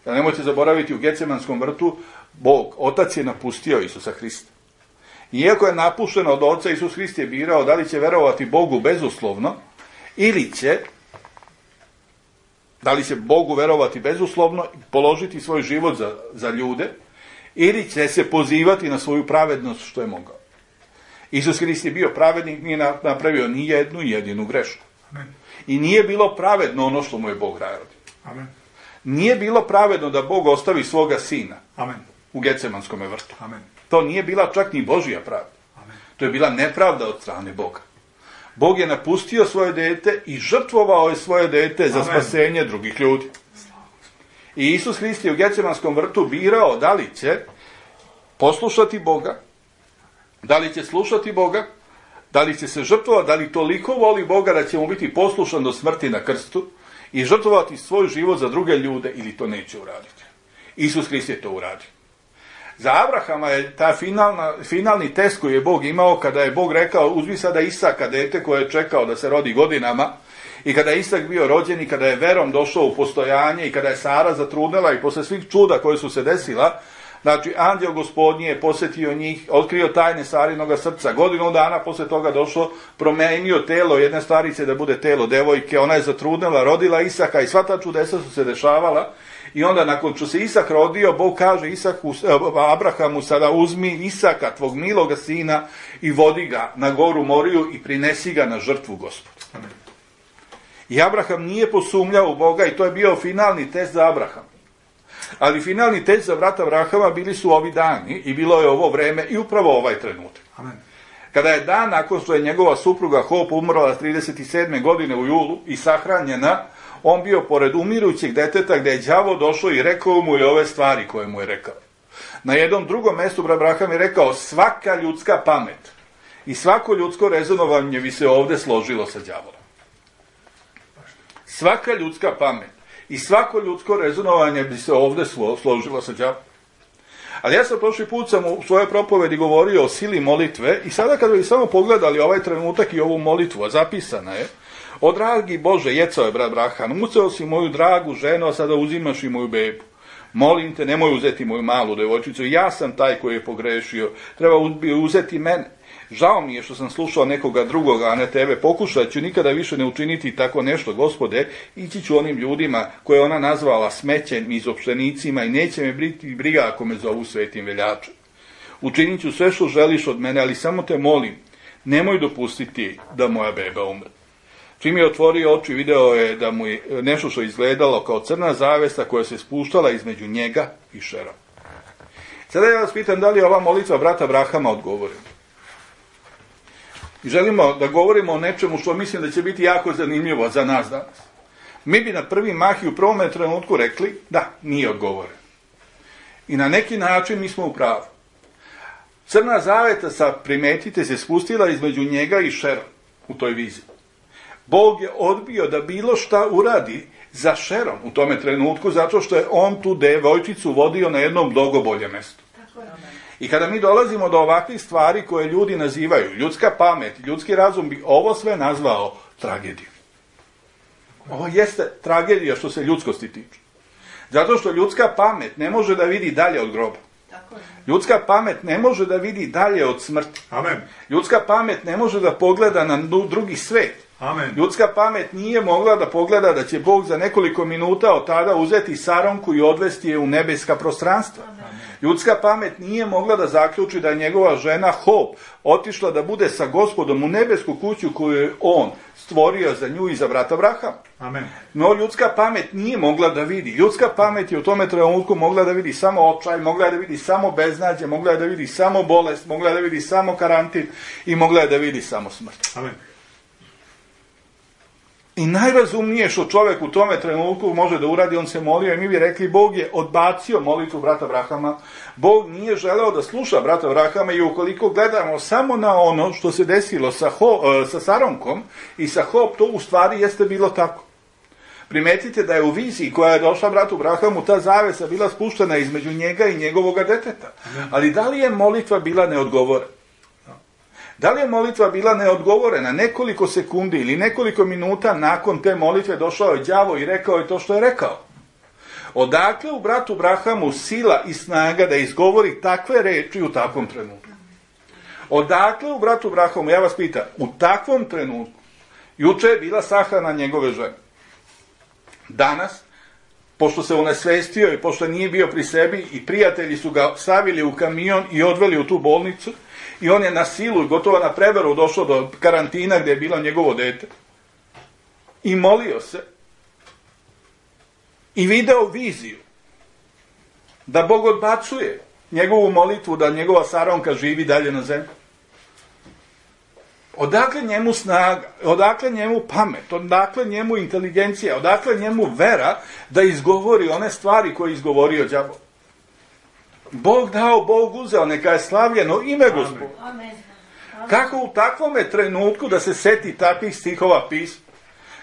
Da nemojte zaboraviti, u Getsemanskom vrtu Bog, Otac je napustio Isusa Hrista. Iako je napušten od Oca, Isus Hrist je birao da li će verovati Bogu bezuslovno ili da li će Bogu verovati bezuslovno, položiti svoj život za ljude, ili će se pozivati na svoju pravednost što je mogao. Isus Hrist je bio pravednik, nije napravio ni jednu jedinu grešku. Amen. I nije bilo pravedno ono što mu je Bog radio. Amen. Nije bilo pravedno da Bog ostavi svoga sina. Amen. U Getsemanskom vrtu. Amen. To nije bila čak ni Božja pravda. Amen. To je bila nepravda od strane Boga. Bog je napustio svoje dete i žrtvovao je svoje dete za spasenje drugih ljudi. I Isus Hrist je u Getsemanskom vrtu birao da li će poslušati Boga, da li će slušati Boga, da li će se žrtvovati, da li toliko voli Boga da će mu biti poslušan do smrti na krstu i žrtvovati svoj život za druge ljude, ili to neće uraditi. Isus Hrist je to uradio. Za Abrahama je ta finalni test koji je Bog imao kada je Bog rekao uzmi sada Isaka, dete koje je čekao da se rodi godinama, i kada je Isak bio rođen i kada je verom došao u postojanje i kada je Sara zatrudnela i posle svih čuda koje su se desila, znači anđeo Gospodnji je posjetio njih, otkrio tajne Sarinoga srca, godinu dana posle toga došlo, promenio telo jedne starice da bude telo devojke, ona je zatrudnela, rodila Isaka i sva ta čudesa su se dešavala. I onda nakon što se Isak rodio, Bog kaže Abrahamu sada uzmi Isaka, tvog miloga sina, i vodi ga na goru Moriju i prinesi ga na žrtvu Gospodu. I Abraham nije posumnjao u Boga i to je bio finalni test za Abrahama. Ali finalni test za brata Abrahama bili su ovi dani i bilo je ovo vreme i upravo ovaj trenutak. Amen. Kada je dan nakon što je njegova supruga Hope umrla 37. godine u julu i sahranjena, on bio pored umirućeg deteta gdje je đavo došao i rekao mu je ove stvari koje mu je rekao. Na jednom drugom mjestu brat Abraham je rekao svaka ljudska pamet i svako ljudsko rezonovanje bi se ovdje složilo sa đavolom. svaka ljudska pamet i svako ljudsko rezonovanje bi se ovdje složilo sa đavolom. Ali ja sam prošli put u svojoj propovedi govorio o sili molitve i sada kada bi samo pogledali ovaj trenutak i ovu molitvu, a zapisana je: o dragi Bože, jecao je brat Brahan, mucao si moju dragu ženu, a sada uzimaš i moju bebu. Molim te, nemoj uzeti moju malu devojčicu, ja sam taj koji je pogrešio, treba uzeti mene. Žao mi je što sam slušao nekoga drugoga, a ne tebe. Pokušat ću nikada više ne učiniti tako nešto, Gospode. Ići ću onim ljudima koje ona nazvala smećem i izopštenicima i neće me biti briga ako me zovu svetim veljačem. Učinit ću sve što želiš od mene, ali samo te molim, nemoj dopustiti da moja beba umre. Čim je otvorio oči, video je da mu je nešto što izgledalo kao crna zavesa koja se spuštala između njega i Šera. Sada ja vas pitam da li je ova molitva brata Brahama odgovorena. I želimo da govorimo o nečemu što mislim da će biti jako zanimljivo za nas danas. Mi bi na prvi mah i u prvom trenutku rekli da, nije odgovoren. I na neki način mi smo u pravu. Crna zaveta, primetite, se spustila između njega i Šera u toj viziji. Bog je odbio da bilo šta uradi za Šerom u tome trenutku, zato što je on tu devojčicu vodio na jednom mnogo bolje mjestu. I kada mi dolazimo do ovakvih stvari koje ljudi nazivaju ljudska pamet, ljudski razum bi ovo sve nazvao tragedijom. Ovo jeste tragedija što se ljudskosti tiče. Zato što ljudska pamet ne može da vidi dalje od groba. Ljudska pamet ne može da vidi dalje od smrti. Amen. Ljudska pamet ne može da pogleda na drugi svet. Amen. Ljudska pamet nije mogla da pogleda da će Bog za nekoliko minuta od tada uzeti Saronku i odvesti je u nebeska prostranstva. Amen. Ljudska pamet nije mogla da zaključi da je njegova žena Hop otišla da bude sa Gospodom u nebesku kuću koju je on stvorio za nju i za brata Brahama. Amen. No ljudska pamet nije mogla da vidi. Ljudska pamet je u tome trenutku mogla da vidi samo očaj, mogla je da vidi samo beznađe, mogla je da vidi samo bolest, mogla je da vidi samo karantin i mogla je da vidi samo smrt. Amen. I najrazumnije što čovjek u tome trenutku može da uradi, on se molio i mi bi rekli Bog je odbacio molitvu brata Brahama. Bog nije želeo da sluša brata Brahama i ukoliko gledamo samo na ono što se desilo sa Saronkom i sa Hop, to u stvari jeste bilo tako. Primetite da je u viziji koja je došla bratu Brahamu ta zavesa bila spuštena između njega i njegovoga deteta. Ali da li je molitva bila neodgovorena? Da li je molitva bila neodgovorena? Nekoliko sekundi ili nekoliko minuta nakon te molitve došao je đavo i rekao je to što je rekao. Odakle u bratu Brahamu sila i snaga da izgovori takve reči u takvom trenutku? Odakle u bratu Brahamu, ja vas pitam, u takvom trenutku, juče je bila sahrana njegove žene. Danas, pošto se unesvestio i pošto nije bio pri sebi i prijatelji su ga stavili u kamion i odveli u tu bolnicu, i on je na silu i gotovo na prevaru došao do karantina gdje je bilo njegovo dete. I molio se. I video viziju. Da Bog odbacuje njegovu molitvu da njegova Saronka živi dalje na zemlji. Odakle njemu snaga, odakle njemu pamet, odakle njemu inteligencija, odakle njemu vera da izgovori one stvari koje je izgovorio đavo. Bog dao, Bog uzeo, neka je slavljeno ime Gospod. Kako u takvome trenutku da se seti takvih stihova pisma?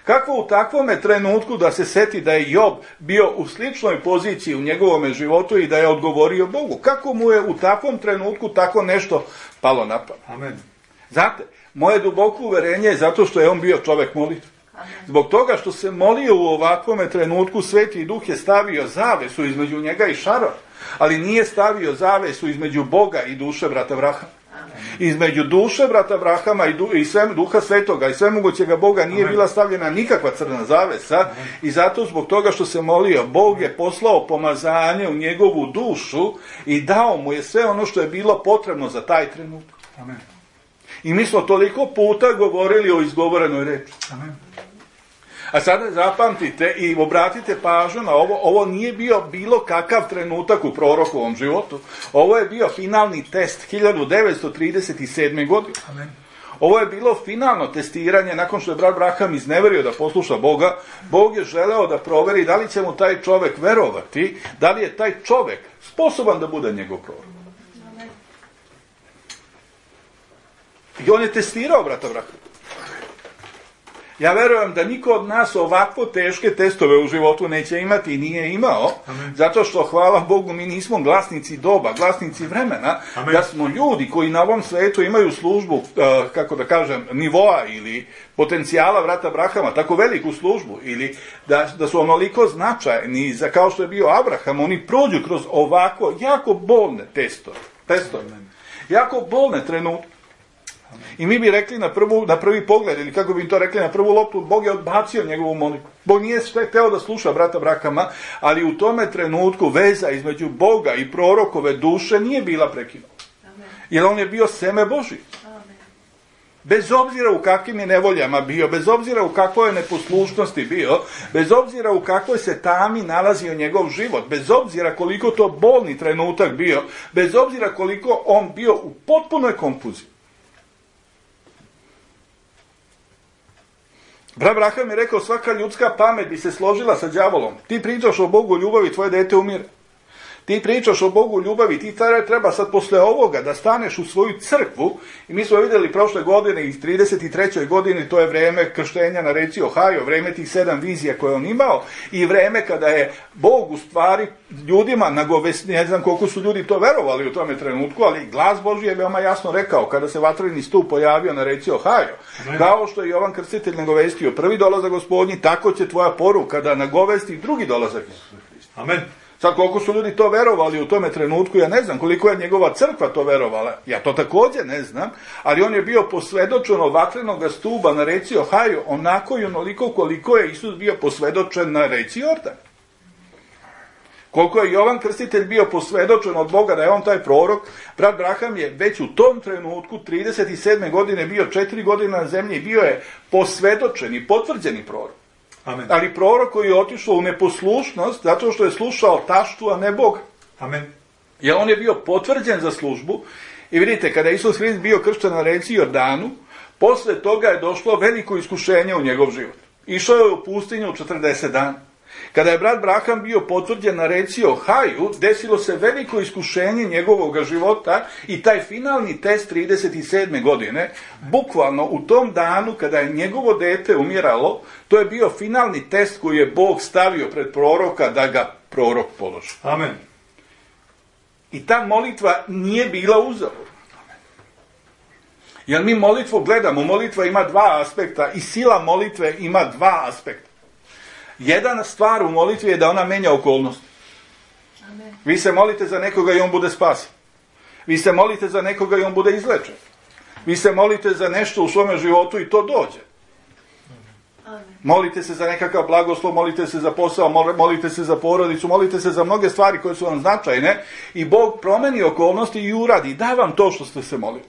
Kako u takvome trenutku da se seti da je Job bio u sličnoj poziciji u njegovome životu i da je odgovorio Bogu? Kako mu je u takvom trenutku tako nešto palo na pamet? Amen. Znate, moje duboko uverenje je zato što je on bio čovjek molitve. Zbog toga što se molio u ovakvome trenutku, Sveti Duh je stavio zavesu između njega i Šara, ali nije stavio zavesu između Boga i duše brata Brahama. Između duše brata Brahama i Duha Svetoga i svemogućega Boga nije bila stavljena nikakva crna zavesa i zato zbog toga što se molio, Bog je poslao pomazanje u njegovu dušu i dao mu je sve ono što je bilo potrebno za taj trenutak. Amen. I mi smo toliko puta govorili o izgovorenoj reči. Amen. A sada zapamtite i obratite pažnju na ovo. Ovo nije bio bilo kakav trenutak u prorokovom životu. Ovo je bio finalni test 1937. godine. Amen. Ovo je bilo finalno testiranje nakon što je brat Braham izneverio da posluša Boga. Bog je želeo da proveri da li će mu taj čovjek verovati, da li je taj čovjek sposoban da bude njegov prorok. I on je testirao brata Brahama. Ja verujem da niko od nas ovakvo teške testove u životu neće imati i nije imao, zato što, hvala Bogu, mi nismo glasnici doba, glasnici vremena, da smo ljudi koji na ovom svetu imaju službu, kako da kažem, nivoa ili potencijala brata Abrahama, tako veliku službu, ili da su onoliko značajni, kao što je bio Abraham, oni prođu kroz ovako jako bolne testove. Jako bolne trenutke. I mi bi rekli na prvi pogled, ili kako bi to rekli na prvu loptu, Bog je odbacio njegovu molitvu. Bog nije hteo da sluša brata Abrahama, ali u tome trenutku veza između Boga i prorokove duše nije bila prekinuta. Jer on je bio seme Božije. Bez obzira u kakvim je nevoljama bio, bez obzira u kakvoj je neposlušnosti bio, bez obzira u kakvoj se tami nalazio njegov život, bez obzira koliko to bolni trenutak bio, bez obzira koliko on bio u potpunoj konfuziji. Brat Abraham je rekao, svaka ljudska pamet bi se složila sa đavolom. Ti pričaš o Bogu ljubavi, tvoje dete umire. Ti pričaš o Bogu ljubavi, ti treba sad posle ovoga da staneš u svoju crkvu. I mi smo vidjeli prošle godine i 33. godini, to je vreme krštenja na reci Ohio, vreme tih 7 vizija koje on imao i vreme kada je Bog u stvari ljudima nagovestio, ne znam koliko su ljudi to verovali u tome trenutku, ali glas Božji je veoma jasno rekao kada se vatreni stup pojavio na reci Ohio. Kao što je Jovan Krstitelj nagovestio prvi dolazak Gospodnji, tako će tvoja poruka da nagovesti drugi dolazak Isusa Hrista. Amen. Sad koliko su ljudi to verovali u tome trenutku, ja ne znam koliko je njegova crkva to verovala, ja to također ne znam, ali on je bio posvedočen od vatrenog stuba na reci Ohio, onako i onoliko koliko je Isus bio posvedočen na reci Jordan. Koliko je Jovan Krstitelj bio posvedočen od Boga da je on taj prorok, brat Abraham je već u tom trenutku, 37. godine, bio 4 godine na zemlji i bio je posvedočen i potvrđeni prorok. Amen. Ali prorok koji je otišao u neposlušnost zato što je slušao taštu, a ne Boga. Amen. Jer on je bio potvrđen za službu i vidite, kada je Isus Hrist bio kršten na reci Jordanu, posle toga je došlo veliko iskušenje u njegov život. Išao je u pustinju 40 dana. Kada je brat Abraham bio potvrđen na reci Ohaju, desilo se veliko iskušenje njegovog života i taj finalni test 37. godine, bukvalno u tom danu kada je njegovo dete umiralo, to je bio finalni test koji je Bog stavio pred proroka da ga prorok položi. Amen. I ta molitva nije bila uzaludna. Jer mi molitvu gledamo, molitva ima dva aspekta i sila molitve ima dva aspekta. Jedna stvar u molitvi je da ona menja okolnost. Amen. Vi se molite za nekoga i on bude spasen. Vi se molite za nekoga i on bude izlečen. Vi se molite za nešto u svome životu i to dođe. Amen. Molite se za nekakav blagoslov, molite se za posao, molite se za porodicu, molite se za mnoge stvari koje su vam značajne i Bog promeni okolnosti i uradi. Da vam to što ste se molili.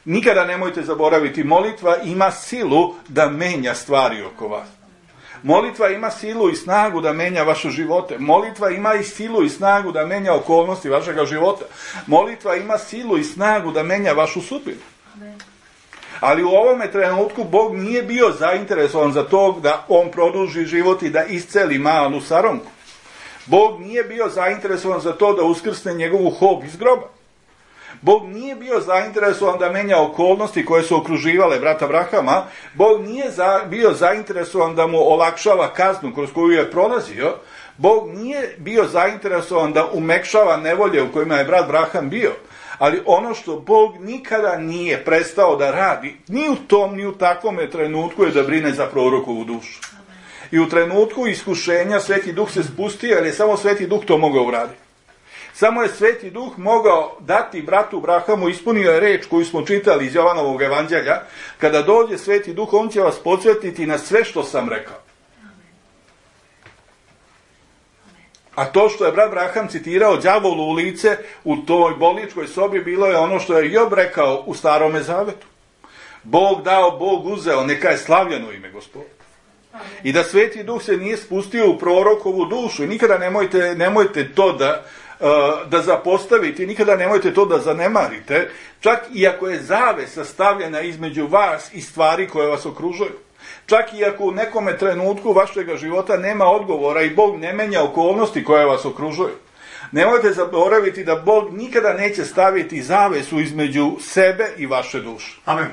Nikada nemojte zaboraviti, molitva ima silu da menja stvari oko vas. Molitva ima silu i snagu da menja vaše živote. Molitva ima i silu i snagu da menja okolnosti vašega života. Molitva ima silu i snagu da menja vašu sudbinu. Ali u ovome trenutku Bog nije bio zainteresovan za to da on produži život i da isceli malu saronku. Bog nije bio zainteresovan za to da uskrsne njegovu hob iz groba. Bog nije bio zainteresovan da menja okolnosti koje su okruživale brata Abrahama. Bog nije bio zainteresovan da mu olakšava kaznu kroz koju je prolazio. Bog nije bio zainteresovan da umekšava nevolje u kojima je brat Abraham bio. Ali ono što Bog nikada nije prestao da radi, ni u tom, ni u takvome trenutku, je da brine za prorokovu dušu. I u trenutku iskušenja Sveti Duh se spustio, jer je samo Sveti Duh to mogao uraditi. Samo je Sveti Duh mogao dati bratu Abrahamu, ispunio je reč koju smo čitali iz Jovanovog evanđelja, kada dođe Sveti Duh, on će vas podsjetiti na sve što sam rekao. A to što je brat Abraham citirao đavolu u lice u toj bolničkoj sobi, bilo je ono što je Job rekao u Starome Zavetu. Bog dao, Bog uzeo, neka je slavljeno ime Gospoda. I da Sveti Duh se nije spustio u prorokovu dušu. I nikada nemojte to da zapostavite, nikada nemojte to da zanemarite, čak i ako je zavesa stavljena između vas i stvari koje vas okružuju. Čak i ako u nekome trenutku vašega života nema odgovora i Bog ne menja okolnosti koje vas okružuju. Nemojte zaboraviti da Bog nikada neće staviti zavesu između sebe i vaše duše. Amen.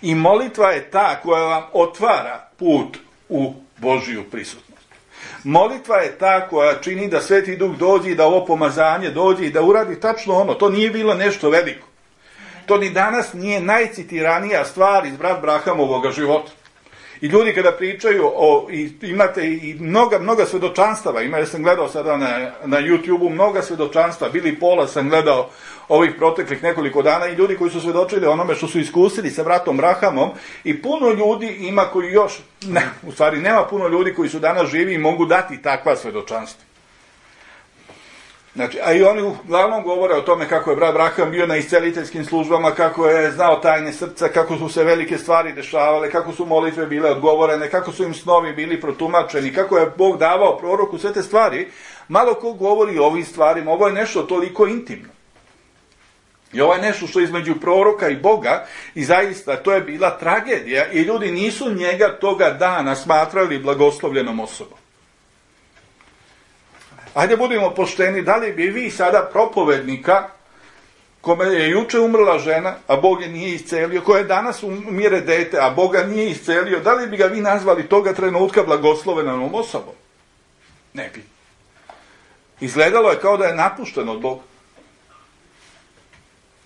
I molitva je ta koja vam otvara put u Božiju prisutnost. Molitva je ta koja čini da Sveti Duh dođe i da ovo pomazanje dođe i da uradi tačno ono. To nije bilo nešto veliko. To ni danas nije najcitiranija stvar iz brat Brahamovoga života. I ljudi kada pričaju imate i mnoga svedočanstava, ja sam gledao sada na YouTube-u mnoga svedočanstva, Billy Paula sam gledao ovih proteklih nekoliko dana i ljudi koji su svedočili onome što su iskusili sa bratom Brahamom i puno ljudi ima koji još, u stvari nema puno ljudi koji su danas živi i mogu dati takva svedočanstva. Znači, a i oni uglavnom govore o tome kako je brat Braham bio na isceliteljskim službama, kako je znao tajne srca, kako su se velike stvari dešavale, kako su molitve bile odgovorene, kako su im snovi bili protumačeni, kako je Bog davao proroku sve te stvari. Malo ko govori o ovim stvarima, ovo je nešto toliko intimno. I ovo je nešto što je između proroka i Boga i zaista to je bila tragedija i ljudi nisu njega toga dana smatrali blagoslovljenom osobom. Ajde budimo pošteni, da li bi vi sada propovednika, kome je juče umrla žena, a Bog je nije iscelio, koje danas umire dete, a Boga nije iscelio, da li bi ga vi nazvali toga trenutka blagoslovenom osobom? Ne bi. Izgledalo je kao da je napušten od Boga.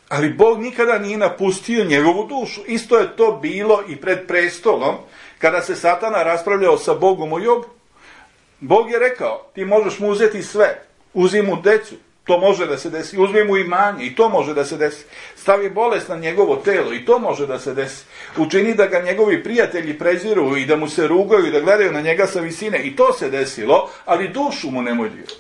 Ali Bog nikada nije napustio njegovu dušu. Isto je to bilo i pred prestolom, kada se Satana raspravljao sa Bogom o Jobu. Bog je rekao, ti možeš mu uzeti sve, uzi mu decu, to može da se desi, uzmi mu imanje i to može da se desi, stavi bolest na njegovo telo i to može da se desi, učini da ga njegovi prijatelji preziru i da mu se rugaju i da gledaju na njega sa visine i to se desilo, ali dušu mu nemoj dirati.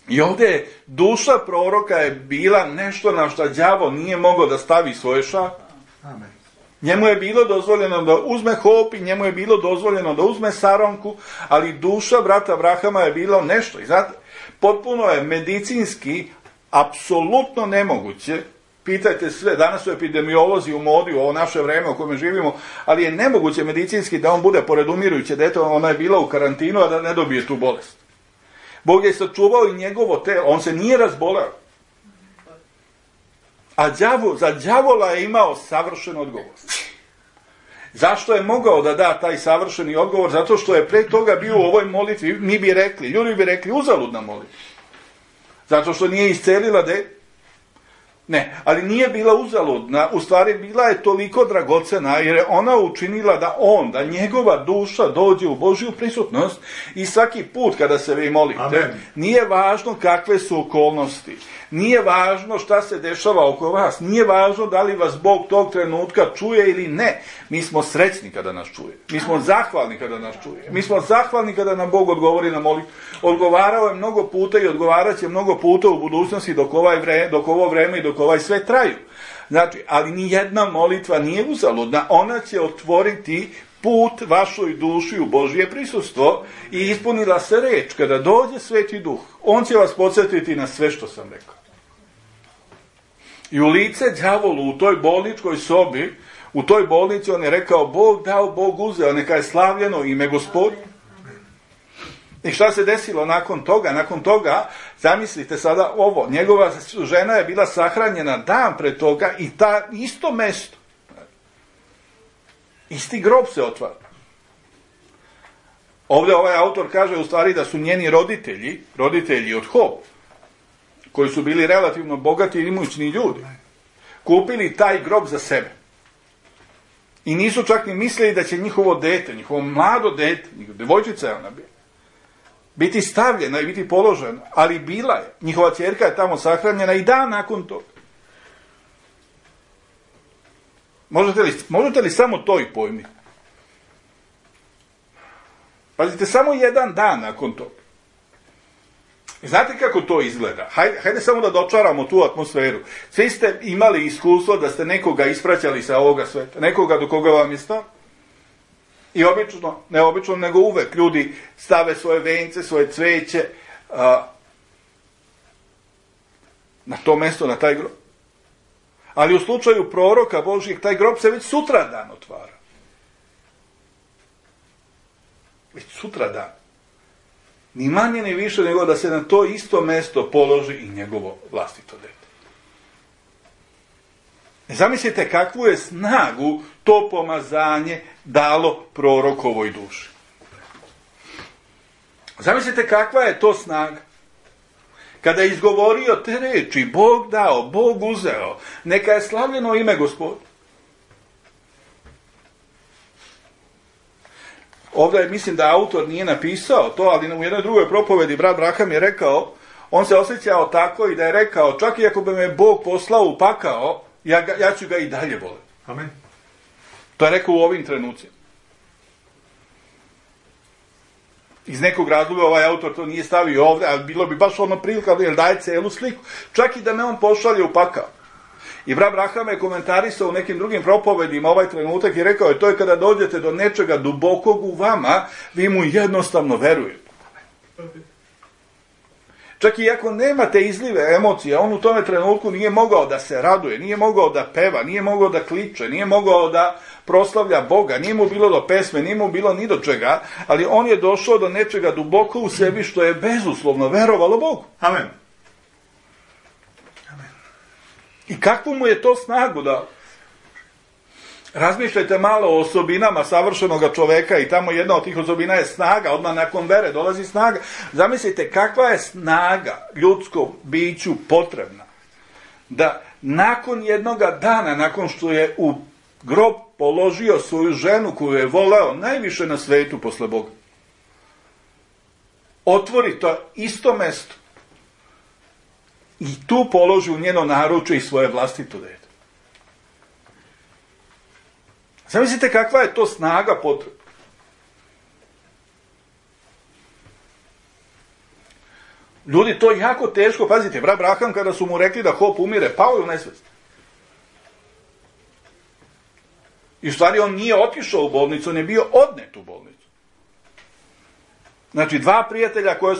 I ovdje duša proroka je bila nešto na što đavo nije mogao da stavi svoje šape. Amen. Njemu je bilo dozvoljeno da uzme hop i njemu je bilo dozvoljeno da uzme saronku, ali duša brata Brahama je bilo nešto. I znate, potpuno je medicinski apsolutno nemoguće, pitajte sve, danas su epidemiolozi u modi u ovo naše vreme u kojem živimo, ali je nemoguće medicinski da on bude pored umirujuće dete, ona je bila u karantinu, a da ne dobije tu bolest. Bog je sačuvao i njegovo telo, on se nije razboleo. A za đavola je imao savršen odgovor. Zašto je mogao da da taj savršeni odgovor? Zato što je pre toga bio u ovoj molitvi, ljudi bi rekli uzaludna molitva. Zato što nije iscelila dete. Ne, ali nije bila uzaludna, u stvari bila je toliko dragocena jer je ona učinila da njegova duša dođe u Božju prisutnost i svaki put kada se vi molite, Amen. Nije važno kakve su okolnosti, nije važno šta se dešava oko vas, nije važno da li vas Bog tog trenutka čuje ili ne, mi smo srećni kada nas čuje, mi smo zahvalni kada nas čuje, mi smo zahvalni kada nam Bog odgovori na molitvu. Odgovarao je mnogo puta i odgovarat će mnogo puta u budućnosti dok ovo vreme i dok ovaj sve traju. Znači, ali ni jedna molitva nije uzaludna, ona će otvoriti put vašoj duši u Božje prisustvo i ispunila se reč, kada dođe Sveti Duh, on će vas podsjetiti na sve što sam rekao. I u lice đavolu u toj bolničkoj sobi, u toj bolnici on je rekao, Bog dao, Bog uzeo, neka je slavljeno ime Gospodnje. I šta se desilo nakon toga? Nakon toga, zamislite sada ovo, njegova žena je bila sahranjena dan pre toga i ta isto mesto, isti grob se otvara. Ovdje ovaj autor kaže u stvari da su njeni roditelji od Hop, koji su bili relativno bogati i imućni ljudi, kupili taj grob za sebe. I nisu čak ni mislili da će njihovo dete, njihovo mlado dete, devojčica je ona bila, biti stavljena i biti položena, ali bila je. Njihova ćerka je tamo sahranjena i dan nakon toga. Možete li samo to i pojmiti? Pazite, samo jedan dan nakon toga. I znate kako to izgleda? Hajde samo da dočaramo tu atmosferu. Svi ste imali iskustvo da ste nekoga ispraćali sa ovoga sveta, nekoga do koga vam je stao. I obično, ne obično, nego uvek ljudi stave svoje vence, svoje cveće na to mesto, na taj grob. Ali u slučaju proroka Božijeg, taj grob se već sutradan otvara. Već sutradan. Ni manje ni više nego da se na to isto mesto položi i njegovo vlastito dete. Zamislite kakvu je snagu to pomazanje dalo prorokovoj duši. Zamislite kakva je to snaga. Kada je izgovorio te reči, Bog dao, Bog uzeo, neka je slavljeno ime Gospod. Ovdje mislim da autor nije napisao to, ali u jednoj drugoj propovedi brat Braham je rekao, on se osjećao tako i da je rekao, čak i ako bi me Bog poslao u pakao, ja ću ga i dalje voliti. Amen. To je rekao u ovim trenucima. Iz nekog razloga ovaj autor to nije stavio ovdje, ali bilo bi baš ono prilika, jer daje celu sliku. Čak i da me on pošalje u pakao. I brat Braham je komentarisao u nekim drugim propovedima ovaj trenutak i rekao je, to je kada dođete do nečega dubokog u vama, vi mu jednostavno verujete. Čak i ako nemate izlive emocije, on u tome trenutku nije mogao da se raduje, nije mogao da peva, nije mogao da kliče, nije mogao da proslavlja Boga, nije mu bilo do pesme, nije mu bilo ni do čega, ali on je došao do nečega duboko u sebi što je bezuslovno verovalo Bogu. Amen. I kakvu mu je to snagu dao? Razmišljajte malo o osobinama savršenog čoveka i tamo jedna od tih osobina je snaga, odmah nakon vere dolazi snaga. Zamislite kakva je snaga ljudskom biću potrebna da nakon jednoga dana, nakon što je u grob položio svoju ženu koju je voleo najviše na svetu posle Boga, otvori to isto mesto i tu položi u njeno naručje i svoje vlastito dete. Zamislite kakva je to snaga potrebna. Ljudi, to jako teško, pazite, brat Braham kada su mu rekli da Hop umire, pao je u nesvest. I u stvari on nije otišao u bolnicu, on je bio odnet u bolnicu. Znači, dva prijatelja koje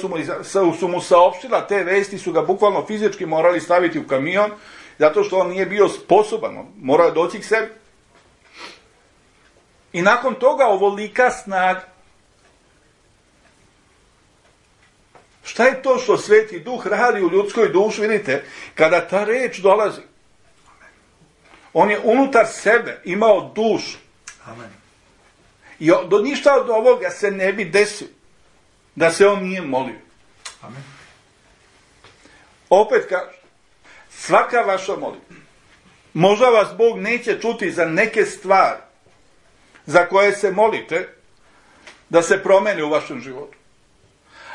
su mu saopštila te vesti su ga bukvalno fizički morali staviti u kamion, zato što on nije bio sposoban, morao je doći k sebi. I nakon toga ovolika snaga. Šta je to što Sveti Duh radi u ljudskoj duši, vidite, kada ta reč dolazi? On je unutar sebe imao dušu. Amen. I do ništa od ovoga se ne bi desilo da se on nije molio. Amen. Opet kažem, svaka vaša molitva, možda vas Bog neće čuti za neke stvari za koje se molite da se promene u vašem životu.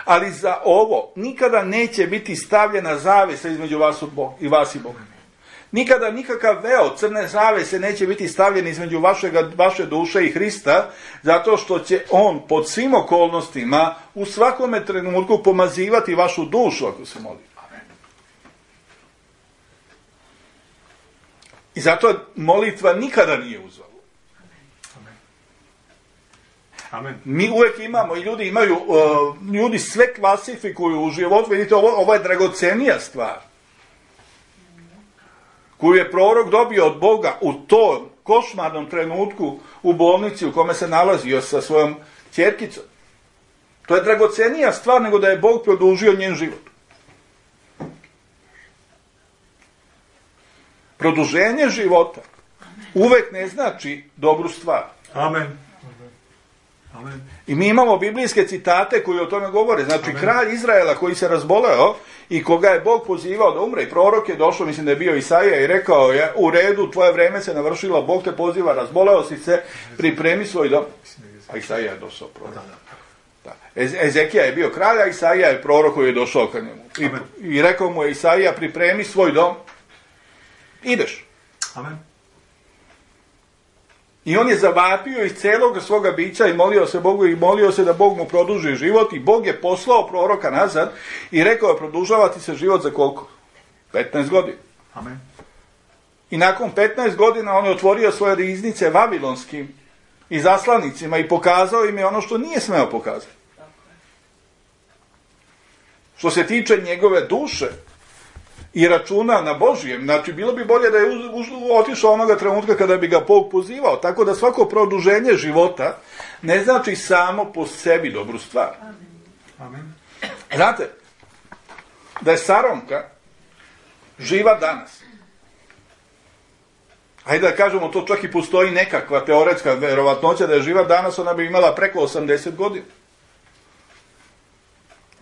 Ali za ovo nikada neće biti stavljena zavesa između vas i Boga. Nikada nikakav veo crne zavese neće biti stavljen između vaše duše i Hrista, zato što će on pod svim okolnostima u svakome trenutku pomazivati vašu dušu ako se moli. I zato molitva nikada nije uzalud. Amen. Mi uvijek imamo, i ljudi imaju, ljudi sve klasifikuju u životu, vidite, ovo je dragocenija stvar, koju je prorok dobio od Boga u tom košmarnom trenutku u bolnici u kome se nalazio sa svojom ćerkicom. To je dragocenija stvar nego da je Bog produžio njen život. Produženje života uvijek ne znači dobru stvar. Amen. Amen. I mi imamo biblijske citate koji o tome govore. Znači, Amen. Kralj Izraela koji se razboleo i koga je Bog pozivao da umre, i prorok je došao, mislim da je bio Isaija, i rekao je, u redu, tvoje vreme se navršilo, Bog te poziva, razboleo si se, pripremi svoj dom. A Isaija je došao prorok. Da. Ezekija je bio kralj, a Isaija je prorok koji je došao ka njemu. I rekao mu je Isaija, pripremi svoj dom, ideš. Amen. I on je zavapio iz celog svoga bića i molio se Bogu i molio se da Bog mu produži život, i Bog je poslao proroka nazad i rekao je, produžavati se život za koliko? 15 godina. Amen. I nakon 15 godina on je otvorio svoje riznice vavilonskim izaslanicima i pokazao im je ono što nije smeo pokazati. Što se tiče njegove duše i računa na Božijem, znači bilo bi bolje da je otišao onoga trenutka kada bi ga Bog pozivao, tako da svako produženje života ne znači samo po sebi dobru stvar. Amen. Znate, da je Saronka živa danas, Hajde da kažemo, to čak i postoji nekakva teoretska verovatnoća da je živa danas, ona bi imala preko 80 godina.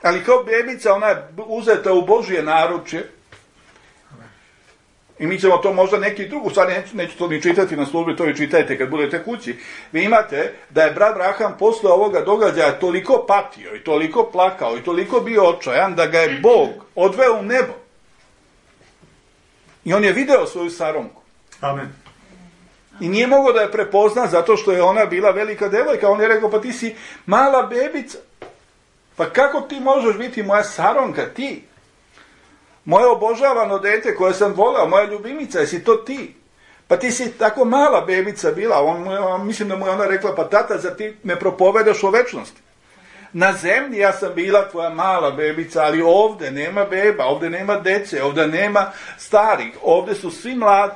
Ali kao bebica, ona je uzeta u Božje naručje. I mi ćemo to možda neki drugu, sad neću to ni čitati na službi, to vi čitajte kad budete kući. Vi imate da je brat Abraham posle ovoga događaja toliko patio i toliko plakao i toliko bio očajan da ga je Bog odveo u nebo. I on je video svoju Saronku. Amen. I nije mogao da je prepozna zato što je ona bila velika devojka. On je rekao, pa ti si mala bebica. Pa kako ti možeš biti moja Saronka, ti? Moje obožavano dete koje sam voleo, moja ljubimica, jesi to ti? Pa ti si tako mala bebica bila. Mislim da mu je ona rekla, pa tata, zar ti me propovedaš o večnosti? Na zemlji ja sam bila tvoja mala bebica, ali ovdje nema beba, ovdje nema dece, ovdje nema starih, ovdje su svi mladi.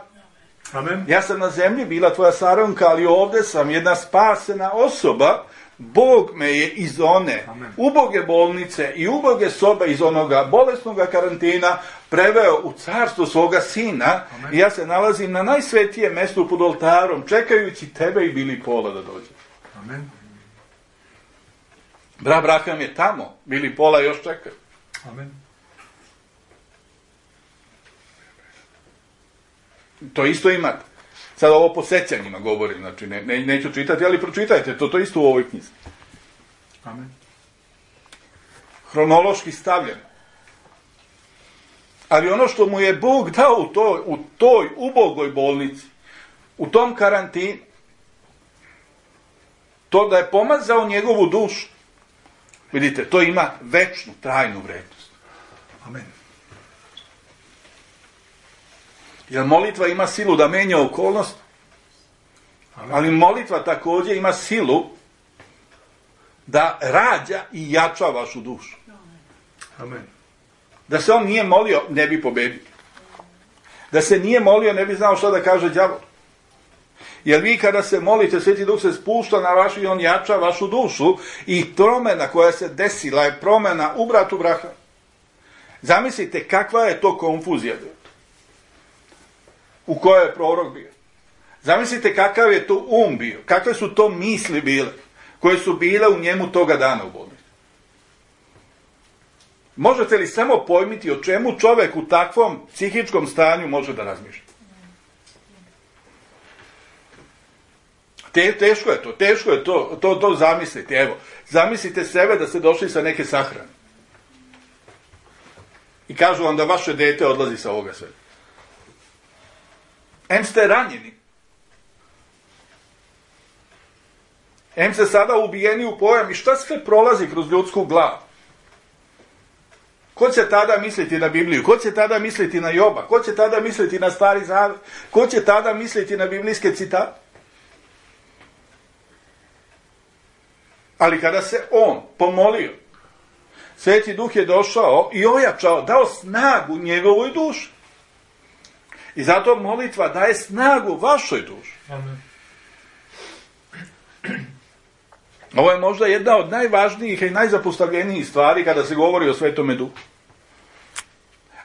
Amen. Ja sam na zemlji bila tvoja Saronka, ali ovdje sam jedna spasena osoba. Bog me je iz one uboge bolnice i uboge sobe, iz onoga bolesnoga karantina preveo u carstvo svoga sina. Amen. I ja se nalazim na najsvetijem mjestu pod oltarom, čekajući tebe i Billy Paula da dođe. Amen. Brat Abraham je tamo, Billy Paula još čeka. Amen. To isto imate. Sad ovo po sećanjima govorim, znači neću čitati, ali pročitajte to isto u ovoj knjizi. Amen. Hronološki stavljeno. Ali ono što mu je Bog dao u toj ubogoj bolnici, u tom karantinu, to da je pomazao njegovu dušu, vidite, to ima večnu, trajnu vrednost. Amen. Jer molitva ima silu da menja okolnost, ali molitva također ima silu da rađa i jača vašu dušu. Amen. Da se on nije molio, ne bi pobedio. Da se nije molio, ne bi znao što da kaže đavol. Jer vi kada se molite, Sveti Duh se spušta na vašu i on jača vašu dušu i promjena koja se desila je promjena u bratu Abrahamu. Zamislite kakva je to konfuzija u kojoj je prorok bio. Zamislite kakav je to bio, kakve su to misli bile, koje su bile u njemu toga dana u bolnici. Možete li samo pojmiti o čemu čovjek u takvom psihičkom stanju može da razmišlja? Teško je to zamisliti. Evo, zamislite sebe da ste došli sa neke sahrane. I kažu vam da vaše dete odlazi sa ovoga sveta. Em ste ranjeni. Em ste sada ubijeni u pojam i šta sve prolazi kroz ljudsku glavu. Ko će tada misliti na Bibliju? Ko će tada misliti na Joba? Ko će tada misliti na Stari Zavet? Ko će tada misliti na biblijske citate? Ali kada se on pomolio, Sveti Duh je došao i ojačao, dao snagu njegovoj duši. I zato molitva daje snagu vašoj duši. Amen. Ovo je možda jedna od najvažnijih i najzapostavljenijih stvari kada se govori o Svetome Duhu.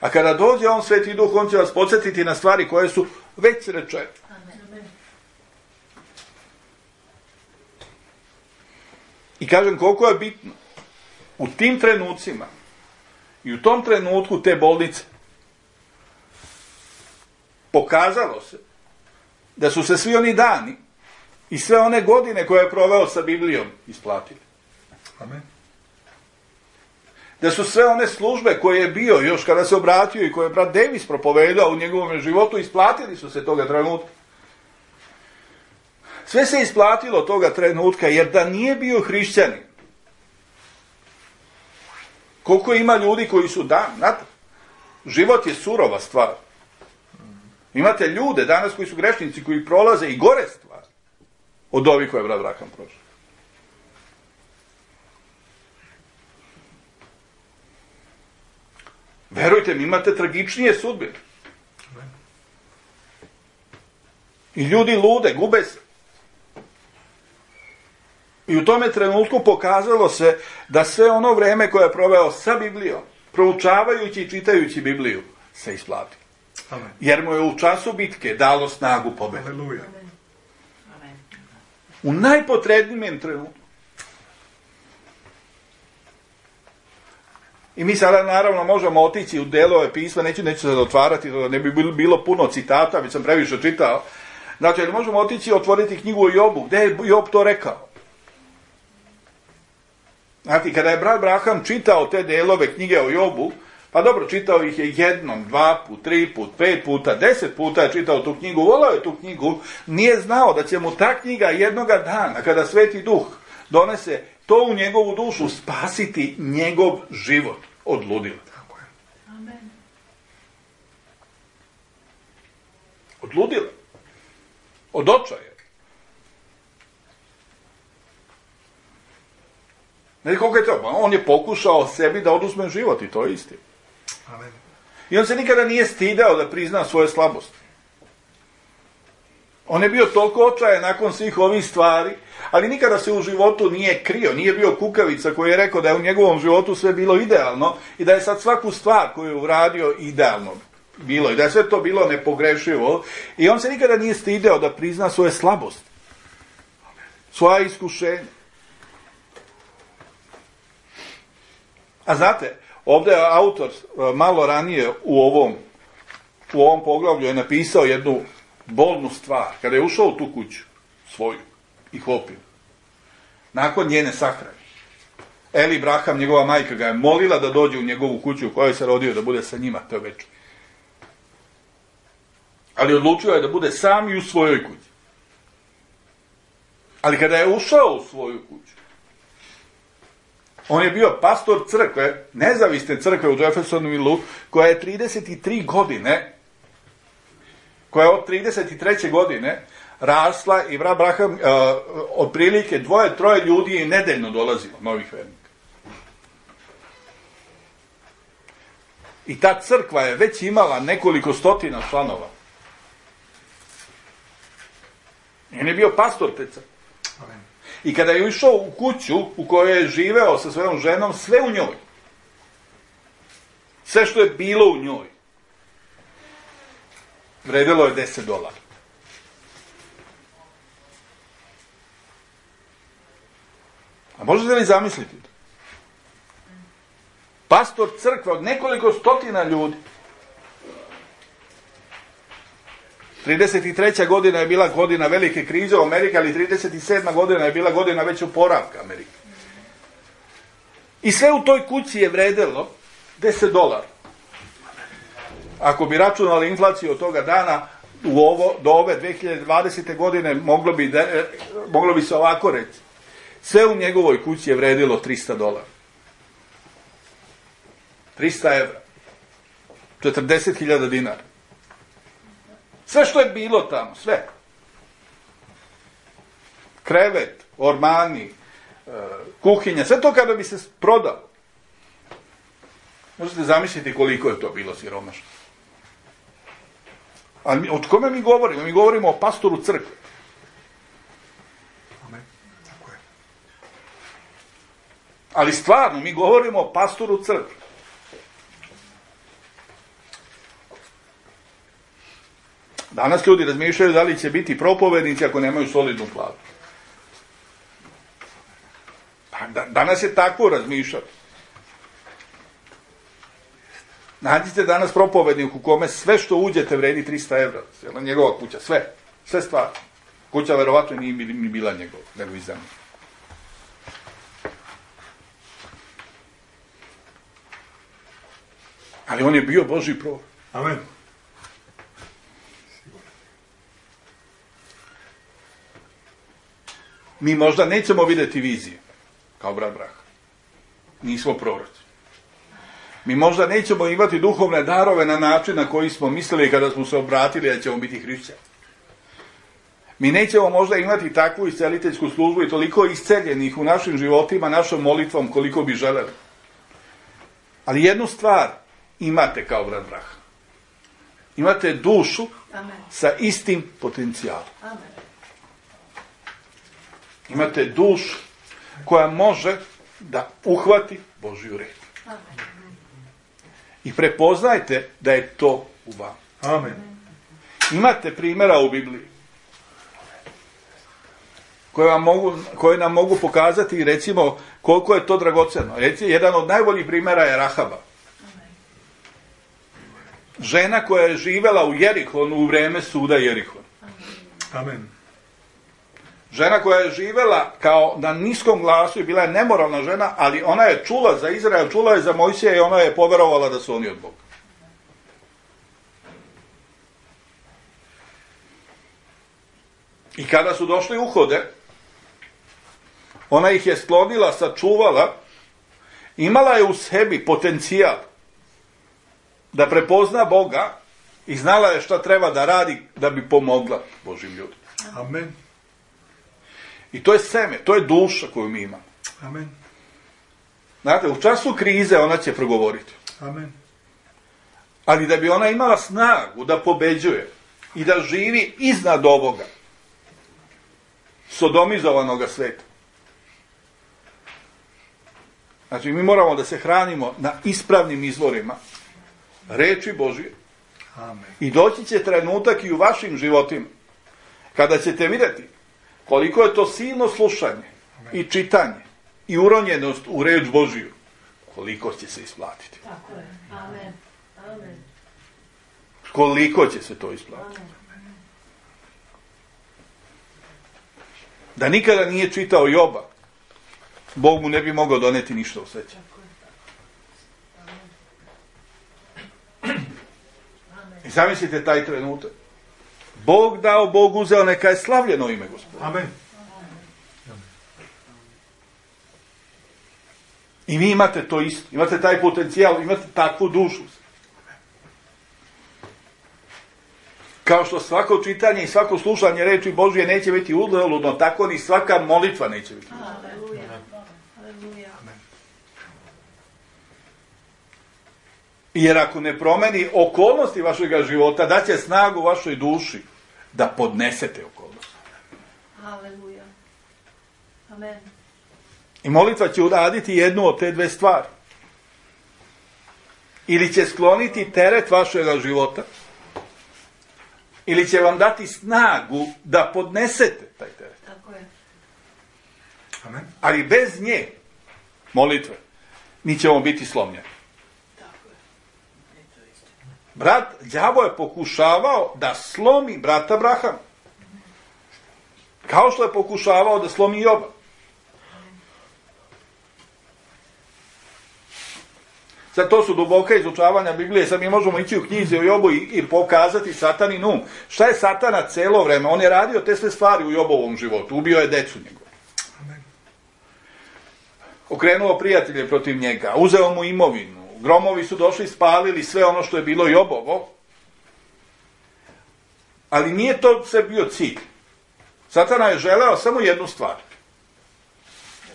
A kada dođe on, Sveti Duh, on će vas podsjetiti na stvari koje su već rečene. I kažem koliko je bitno u tim trenucima i u tom trenutku te bolnice pokazalo se da su se svi oni dani i sve one godine koje je proveo sa Biblijom isplatili. Amen. Da su sve one službe koje je bio još kada se obratio i koje je brat Davis propovedao u njegovom životu, isplatili su se toga trenutka. Sve se isplatilo toga trenutka, jer da nije bio hrišćanin, koliko ima ljudi koji su znate, život je surova stvar. Imate ljude danas koji su grešnici, koji prolaze i gore stvari od ovih koje je brat Abraham prošao. Verujte mi, imate tragičnije sudbine. I ljudi lude, gube se. I u tome trenutku pokazalo se da sve ono vreme koje je proveo sa Biblijom, proučavajući i čitajući Bibliju, se isplati. Amen. Jer mu je u času bitke dalo snagu pobjede. Aleluja. U najpotrebnijem trenutku. I mi sada naravno možemo otići u delove pisma, neću se otvarati, da ne bi bilo puno citata, već sam previše čitao. Znači, možemo otići i otvoriti knjigu o Jobu. Gde je Job to rekao? Znači, kada je brat Braham čitao te delove knjige o Jobu, pa dobro, čitao ih je jednom, 2 put, 3 put, 5 puta, 10 puta je čitao tu knjigu, volao je tu knjigu, nije znao da će mu ta knjiga jednoga dana, kada Sveti Duh donese to u njegovu dušu, spasiti njegov život od ludila. Tako je. Amen. Od ludila. Od očaja. Ne, koliko je to? On je pokušao sebi da oduzme život i to je istina. Amen. I on se nikada nije stidao da prizna svoje slabosti. On je bio toliko očajan nakon svih ovih stvari, ali nikada se u životu nije krio, nije bio kukavica koji je rekao da je u njegovom životu sve bilo idealno i da je sad svaku stvar koju je uradio idealno bilo i da je sve to bilo nepogrešivo. I on se nikada nije stidao da prizna svoje slabosti, svoja iskušenja. A znate, ovdje je autor malo ranije u ovom poglavlju je napisao jednu bolnu stvar. Kada je ušao u tu kuću svoju i Hopinu, nakon njene sahrane, Eli Braham, njegova majka, ga je molila da dođe u njegovu kuću u kojoj se rodio, da bude sa njima to večer. Ali odlučio je da bude sam i u svojoj kući. Ali kada je ušao u svoju kuću, on je bio pastor crkve, nezavisne crkve u Jeffersonvilleu, koja je 33 godine, koja je od 33. godine rasla i brat Braham otprilike 2-3 ljudi je nedeljno dolazilo, novih vernika. I ta crkva je već imala nekoliko stotina članova. I on je bio pastor te crkve. Amen. I kada je išao u kuću u kojoj je živeo sa svojom ženom, sve u njoj. Sve što je bilo u njoj. Vredilo je $10. A možete li zamisliti to? Pastor crkve od nekoliko stotina ljudi. 33. godina je bila godina velike krize u Americi, ali 37. godina je bila godina već oporavka Amerike. I sve u toj kući je vredelo $10. Ako bi računali inflaciju od toga dana do ove 2020. godine, moglo bi se ovako reći. Sve u njegovoj kući je vredilo $300. 300 evra. 40.000 dinara. Sve što je bilo tamo, sve. Krevet, ormani, kuhinja, sve to kada bi se prodalo. Možete zamisliti koliko je to bilo siromašno. Ali od kome mi govorimo? Mi govorimo o pastoru crkve. Amen. Tako je. Ali stvarno, mi govorimo o pastoru crkve. Danas ljudi razmišljaju da li će biti propovednici ako nemaju solidnu platu. Danas je tako razmišljati. Nađite danas propovednik u kome sve što uđete vredi 300 evra. Cijela njegova kuća, sve. Sve stvari. Kuća verovatno nije ni bila njegova, nego i zemlja. Ali on je bio Božji prorok. Amen. Mi možda nećemo vidjeti vizije, kao brat Braham. Nismo proroci. Mi možda nećemo imati duhovne darove na način na koji smo mislili kada smo se obratili da ćemo biti hrišćani. Mi nećemo možda imati takvu isceliteljsku službu i toliko isceljenih u našim životima, našom molitvom koliko bi želeli. Ali jednu stvar imate kao brat Braham. Imate dušu sa istim potencijalom. Imate dušu koja može da uhvati Božju reč. I prepoznajte da je to u vama. Amen. Imate primjera u Bibliji koje nam mogu pokazati, recimo, koliko je to dragocjeno. Recimo, jedan od najboljih primjera je Rahaba. Žena koja je živjela u Jerihonu u vrijeme suda Jerihon. Amen. Žena koja je živjela kao na niskom glasu i bila je nemoralna žena, ali ona je čula za Izrael, čula je za Mojsija i ona je poverovala da su oni od Boga. I kada su došli uhode, ona ih je sklonila, sačuvala, imala je u sebi potencijal da prepozna Boga i znala je šta treba da radi da bi pomogla Božim ljudima. Amen. I to je seme, to je duša koju mi imamo. Amen. Znate, u času krize ona će progovoriti. Amen. Ali da bi ona imala snagu da pobeđuje i da živi iznad ovoga sodomizovanoga sveta. Znači, mi moramo da se hranimo na ispravnim izvorima reči Božije. Amen. I doći će trenutak i u vašim životima kada ćete vidjeti koliko je to silno slušanje i čitanje i uronjenost u reč Božiju, koliko će se isplatiti. Tako je. Amen. Amen. Koliko će se to isplatiti. Da nikada nije čitao Joba, Bog mu ne bi mogao doneti ništa u sreće. I zamislite taj trenutak. Bog dao, Bog uzeo, neka je slavljeno ime Gospoda. Amen. I vi imate to isto. Imate taj potencijal, imate takvu dušu. Kao što svako čitanje i svako slušanje reči Božije neće biti uzaludno, tako ni svaka molitva neće biti uzaludno. Aleluja. Aleluja. Jer ako ne promeni okolnosti vašeg života, daće snagu vašoj duši da podnesete okolnosti. Aleluja. Amen. I molitva će uraditi jednu od te dve stvari. Ili će skloniti teret vašeg života, ili će vam dati snagu da podnesete taj teret. Tako je. Amen. Ali bez nje, molitve, mi ćemo biti slomljeni. Tako je. Brat, đavo je pokušavao da slomi brata Abrahama. Kao što je pokušavao da slomi Joba. Sad to su duboka izučavanja Biblije, sad mi možemo ići u knjizi o Jobu i pokazati satanin um. Šta je satana celo vreme? On je radio te sve stvari u Jobovom životu, ubio je decu njegovu. Okrenuo prijatelje protiv njega, uzeo mu imovinu, gromovi su došli i spalili sve ono što je bilo Jobovo, ali nije to sve bio cilj. Satana je želeo samo jednu stvar.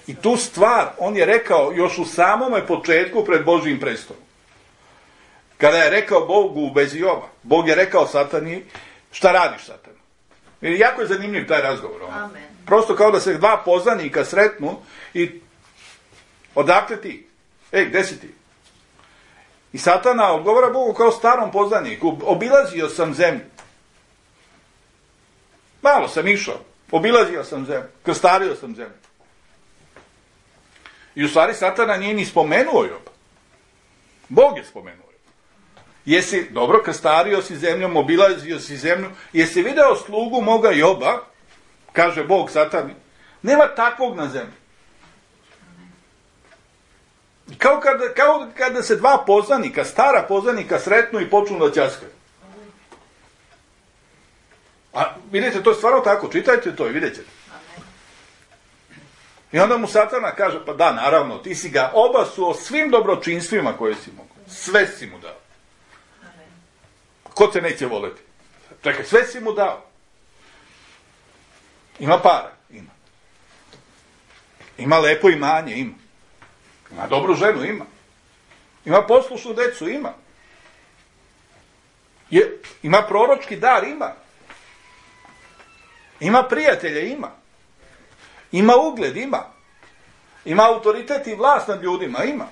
I tu stvar, on je rekao još u samome početku pred Božjim prestolom. Kada je rekao Bogu u vezi Joba, Bog je rekao Satani, šta radiš, Satana? I jako je zanimljiv taj razgovor. Amen. Prosto kao da se dva poznanika sretnu i odakle ti? Gde si ti? I Satana odgovara Bogu kao starom poznaniku, obilazio sam zemlju. Malo sam išao, obilazio sam zemlju, krstario sam zemlju. I u stvari Satana nije ni spomenuo Joba. Bog je spomenuo Joba. Jesi, dobro, krstario si zemljom, obilazio si zemlju, jesi video slugu moga Joba, kaže Bog Satani, nema takvog na zemlji. Kao kada se dva poznanika, stara poznanika sretnu i počnu da ćaskaju. A vidite, to je stvarno tako, čitajte to i vidjet ćete. I onda mu Satana kaže, pa da, naravno, ti si ga obasuo svim dobročinstvima koje si mogu. Sve si mu dao. Ko te neće voleti? Čekaj, sve si mu dao. Ima para? Ima. Ima lepo imanje? Ima. Ima dobru ženu? Ima. Ima poslušnu decu? Ima. Ima proročki dar? Ima. Ima prijatelje? Ima. Ima ugled? Ima. Ima autoritet i vlast nad ljudima? Ima.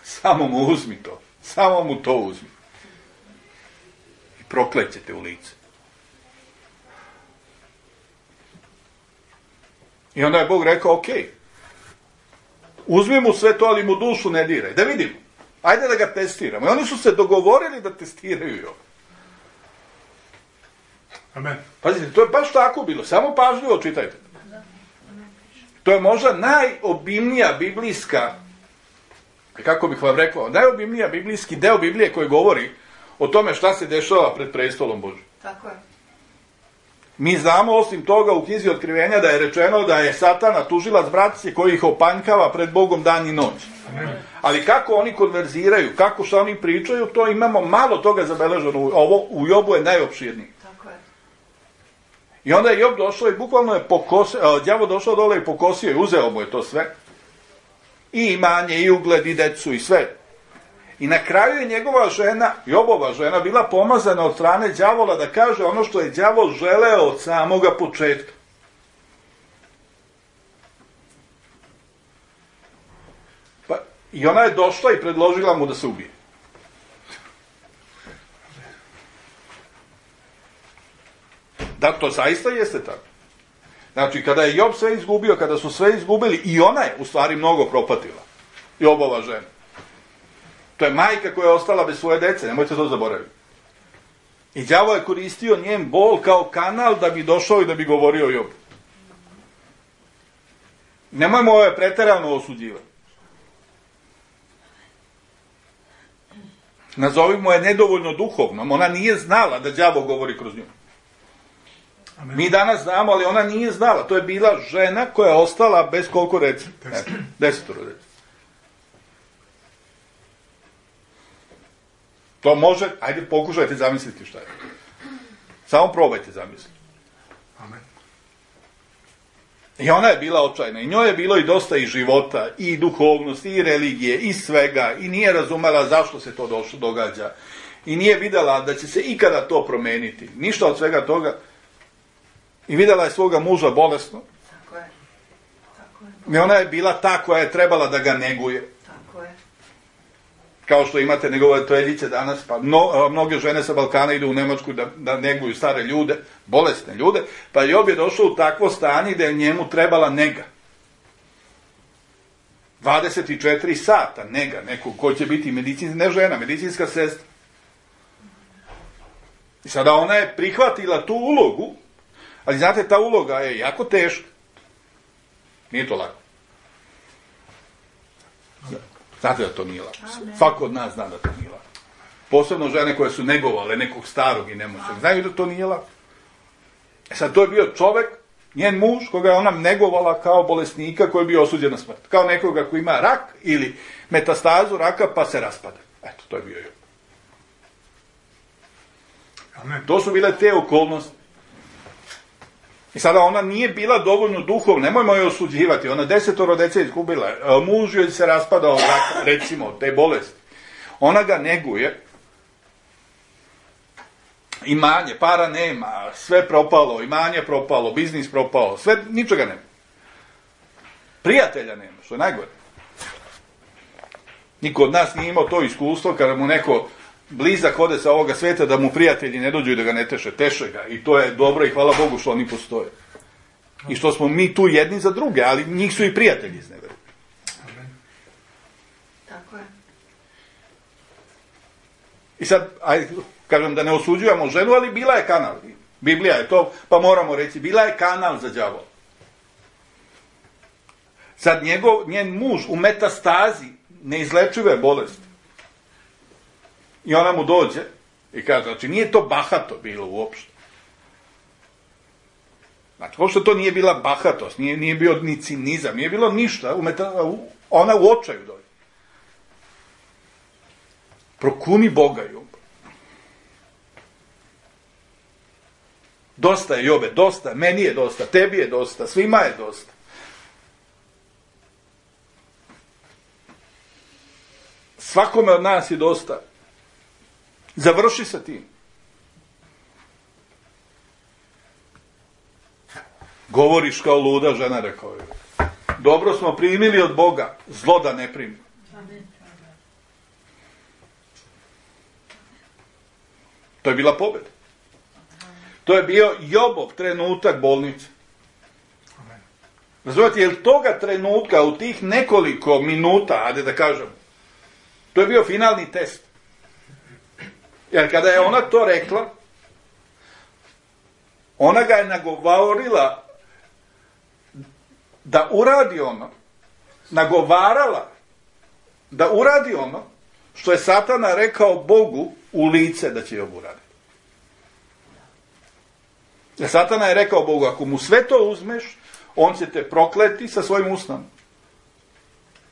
Samo mu uzmi to. Samo mu to uzmi. proklećete u lice. I onda je Bog rekao, ok, uzmi mu sve to, ali mu dušu ne diraj. Da vidimo. Ajde da ga testiramo. I oni su se dogovorili da testiraju Joba. Amen. Pazite, to je baš tako bilo. Samo pažljivo čitajte. To je možda najobimnija biblijska, kako bih vam rekao, najobimnija biblijski deo Biblije koji govori o tome šta se dešava pred prestolom Božjim. Tako je. Mi znamo osim toga u knjizi Otkrivenja da je rečeno da je Satana tužilac braće koji ih opanjkava pred Bogom dan i noć. Amen. Ali kako oni konverziraju, kako što oni pričaju, to imamo malo toga zabeleženo. Ovo u Jobu je najopširnije. Tako je. I onda je Job došao i bukvalno je đavo došao dole i pokosio i uzeo mu je to sve. I imanje, i ugled, i decu, i sve. I na kraju je njegova žena, Jobova žena, bila pomazana od strane đavola da kaže ono što je đavo želeo od samoga početka. Pa, i ona je došla i predložila mu da se ubije. Da, to zaista jeste tako. Znači, kada je Job sve izgubio, kada su sve izgubili, i ona je u stvari mnogo propatila. Jobova žena. To je majka koja je ostala bez svoje dece, nemojte to zaboraviti. I đavo je koristio njen bol kao kanal da bi došao i da bi govorio o Jobu. Nemojmo ove preterano osuđivati. Nazovimo je nedovoljno duhovnom, ona nije znala da đavo govori kroz nju. Amen. Mi danas znamo, ali ona nije znala. To je bila žena koja je ostala bez koliko reci? 10 reci. To može, ajde pokušajte zamisliti šta je. Samo probajte zamisliti. Amen. I ona je bila očajna. I njoj je bilo i dosta i života, i duhovnosti, i religije, i svega. I nije razumela zašto se to događa. I nije videla da će se ikada to promeniti. Ništa od svega toga. I videla je svoga muža bolesno. Tako je. Tako je. I ona je bila ta koja je trebala da ga neguje. Tako je. Kao što imate negovateljice danas, pa mnoge žene sa Balkana idu u Nemačku da neguju stare ljude, bolesne ljude, pa Job je došao u takvo stanje da je njemu trebala nega. 24 sata nega, nekog ko će biti ne žena, medicinska sestra. I sada ona je prihvatila tu ulogu, ali znate, ta uloga je jako teška. Nije to lako. Znate da to nije lako. Svako od nas zna da to nije lako. Posebno žene koje su negovale nekog starog i nemoćnog. Znaju da to nije lako. Sad, to je bio čovek, njen muž, koga je ona negovala kao bolesnika koji je bio osuđen na smrt. Kao nekoga koji ima rak ili metastazu raka pa se raspada. Eto, to je bio Job. Amen. To su bile te okolnosti. I sada ona nije bila dovoljno duhovna, nemojmo je osuđivati, ona 10 dece izgubila, muž joj se raspadao, recimo, te bolesti. Ona ga neguje, imanje, para nema, sve propalo, imanje propalo, biznis propalo, sve, ničega nema. Prijatelja nema, što je najgore. Niko od nas nije imao to iskustvo kada mu neko blizak ode sa ovoga sveta da mu prijatelji ne dođu i da ga ne teše ga. I to je dobro i hvala Bogu što oni postoje. I što smo mi tu jedni za druge, ali njih su i prijatelji izneveri. Tako je. I sad, ajde, kažem da ne osuđujemo ženu, ali bila je kanal. Biblija je to, pa moramo reći, bila je kanal za đavola. Sad njen muž u metastazi neizlečive bolesti. I ona mu dođe i kaže, znači nije to bahato bilo uopšte. Znači, uopšte to nije bila bahatost, nije bio ni cinizam, nije bilo ništa, ona u očaju dođe. Prokuni Boga, Job. Dosta je, Jobe, dosta, meni je dosta, tebi je dosta, svima je dosta. Svakome od nas je dosta. Završi sa tim. Govoriš kao luda žena, rekao je. Dobro smo primili od Boga, zlo da ne primimo. To je bila pobjeda. To je bio Jobov trenutak bolnice. Amen. Razumijete, jer toga trenutka u tih nekoliko minuta, ajde da kažem, to je bio finalni test. Jer kada je ona to rekla, ona ga je nagovorila da uradi ono, nagovarala da uradi ono što je Satana rekao Bogu u lice da će Job uraditi. Jer Satana je rekao Bogu, ako mu sve to uzmeš, on će te prokleti sa svojim usnom.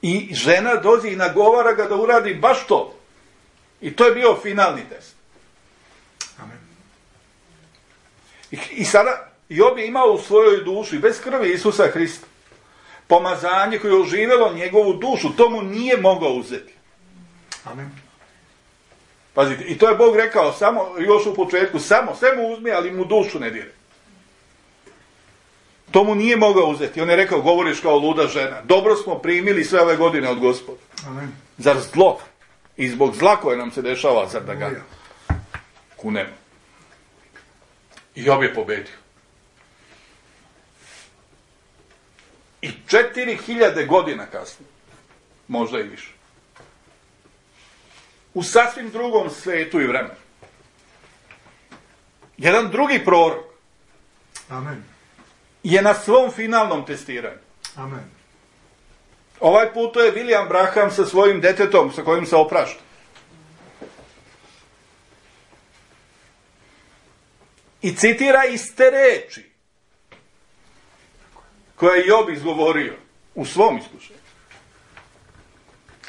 I žena dođe i nagovara ga da uradi baš to. I to je bio finalni test. Amen. I sada Job je imao u svojoj duši, bez krvi Isusa Hrista, pomazanje koje je oživjelo njegovu dušu, to mu nije mogao uzeti. Amen. Pazite, i to je Bog rekao samo, još u početku, samo, sve mu uzmi, ali mu dušu ne dire. To mu nije mogao uzeti. On je rekao, govoriš kao luda žena. Dobro smo primili sve ove godine od Gospoda. Amen. Zar zlo? I zbog zla koje nam se dešava, zar da ga kunemo? I Job je pobedio. I 4000 godina kasnije, možda i više, u sasvim drugom svetu i vremenu, jedan drugi prorok Amen. je na svom finalnom testiranju. Amen. Ovaj put to je William Branham sa svojim detetom sa kojim se oprašta. I citira iste reči koje je Job izgovorio u svom iskušenju.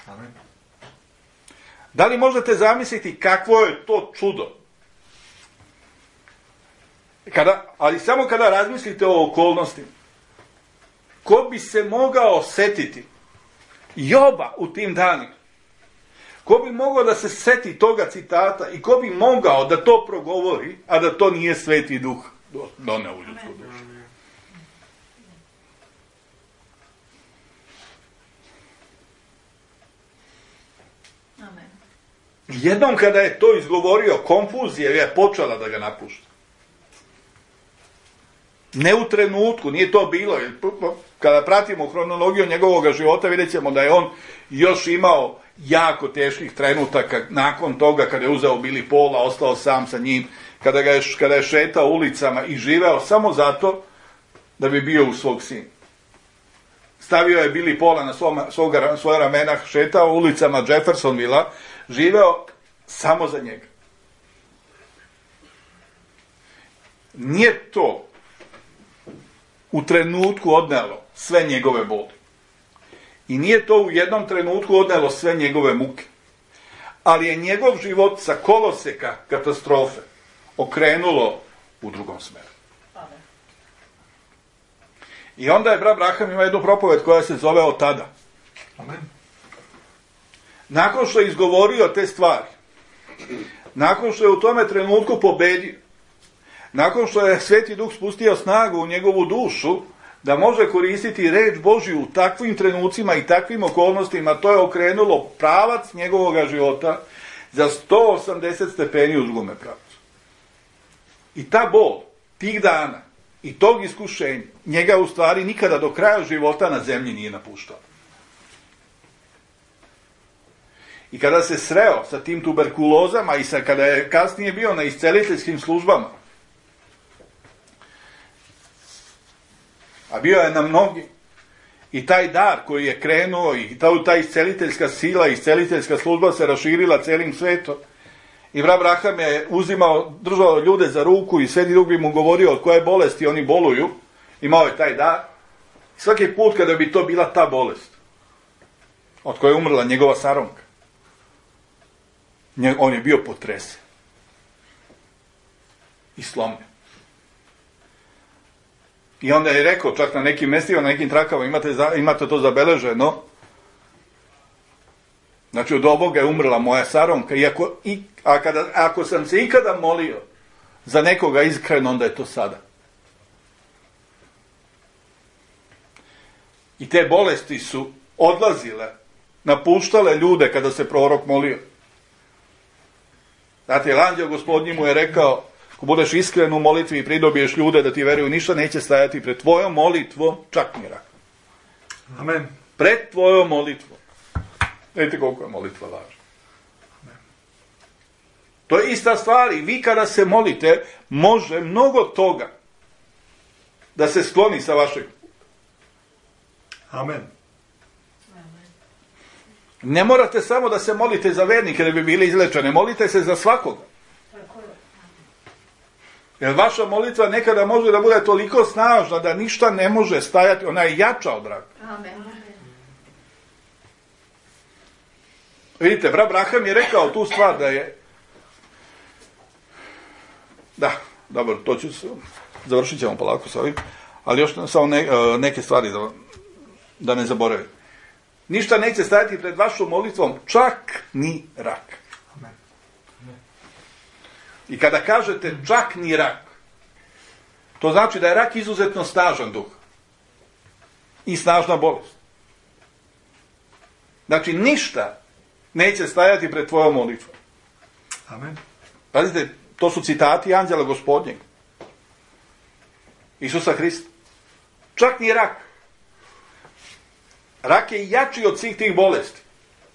Amen. Da li možete zamisliti kakvo je to čudo? Ali samo kada razmislite o okolnostima. Ko bi se mogao setiti Joba u tim danima? Ko bi mogao da se seti toga citata i ko bi mogao da to progovori, a da to nije Sveti Duh doneo u ljudsku dušu? Amen. Jednom kada je to izgovorio, konfuzija je počela da ga napušta. Ne u trenutku, nije to bilo. Kada pratimo hronologiju njegovog života, vidjet ćemo da je on još imao jako teških trenutaka nakon toga kada je uzeo Billy Paula, ostao sam sa njim, kada je šetao ulicama i živeo samo zato da bi bio u svog sina. Stavio je Billy Paula na svoja ramena, šetao ulicama Jeffersonvilla, živeo samo za njega. Nije to u trenutku odnelo sve njegove boli. I nije to u jednom trenutku odnelo sve njegove muke. Ali je njegov život sa koloseka katastrofe okrenulo u drugom smeru. Amen. I onda je brat Branham ima jednu propoved koja se zove Od tada. Amen. Nakon što je izgovorio te stvari, nakon što je u tome trenutku pobedio, nakon što je Sveti Duh spustio snagu u njegovu dušu, da može koristiti reč Božju u takvim trenucima i takvim okolnostima, to je okrenulo pravac njegovog života za 180 stepeni u drugome pravcu. I ta bol, tih dana i tog iskušenja, njega u stvari nikada do kraja života na zemlji nije napuštao. I kada se sreo sa tim tuberkulozama i kada je kasnije bio na isceliteljskim službama, a bio je na mnogi, i taj dar koji je krenuo i ta isceliteljska sila, isceliteljska služba se raširila celim svetom. I brat Branham je držao ljude za ruku i Sveti Duh bi mu govorio od koje bolesti oni boluju, imao je taj dar. Svaki put kada bi to bila ta bolest, od koje je umrla njegova saronka, on je bio potresen i slomljen. I onda je rekao, čak na nekim mestima, na nekim trakama, imate to zabeleženo, znači od ovoga je umrla moja saronka, ako sam se ikada molio za nekoga iskreno, onda je to sada. I te bolesti su odlazile, napuštale ljude kada se prorok molio. Znate, jer anđeo gospodnji mu je rekao, ako budeš iskren u molitvi i pridobiješ ljude da ti veruju, ništa neće stajati pred tvojom molitvom, čak ni rak. Amen. Pred tvojom molitvom. Vidite koliko je molitva važna. To je ista stvar i vi kada se molite, može mnogo toga da se skloni sa vašeg. Amen. Ne morate samo da se molite za vernike da bi bili izlečeni, molite se za svakoga. Jer vaša molitva nekada može da bude toliko snažna da ništa ne može stajati, ona je jača od raka. Amen. Vidite, brat Braham je rekao tu stvar da je... Da, dobro, to ću se... Završit ćemo polako sa ovim, ali još samo neke stvari da ne zaboravim. Ništa neće stajati pred vašom molitvom, čak ni rak. Amen. I kada kažete čak ni rak, to znači da je rak izuzetno snažan duh. I snažna bolest. Znači, ništa neće stajati pred tvojom molitvom. Amen. Pazite, to su citati anđela gospodnjeg. Isusa Hrista. Čak ni rak. Rak je jači od svih tih bolesti.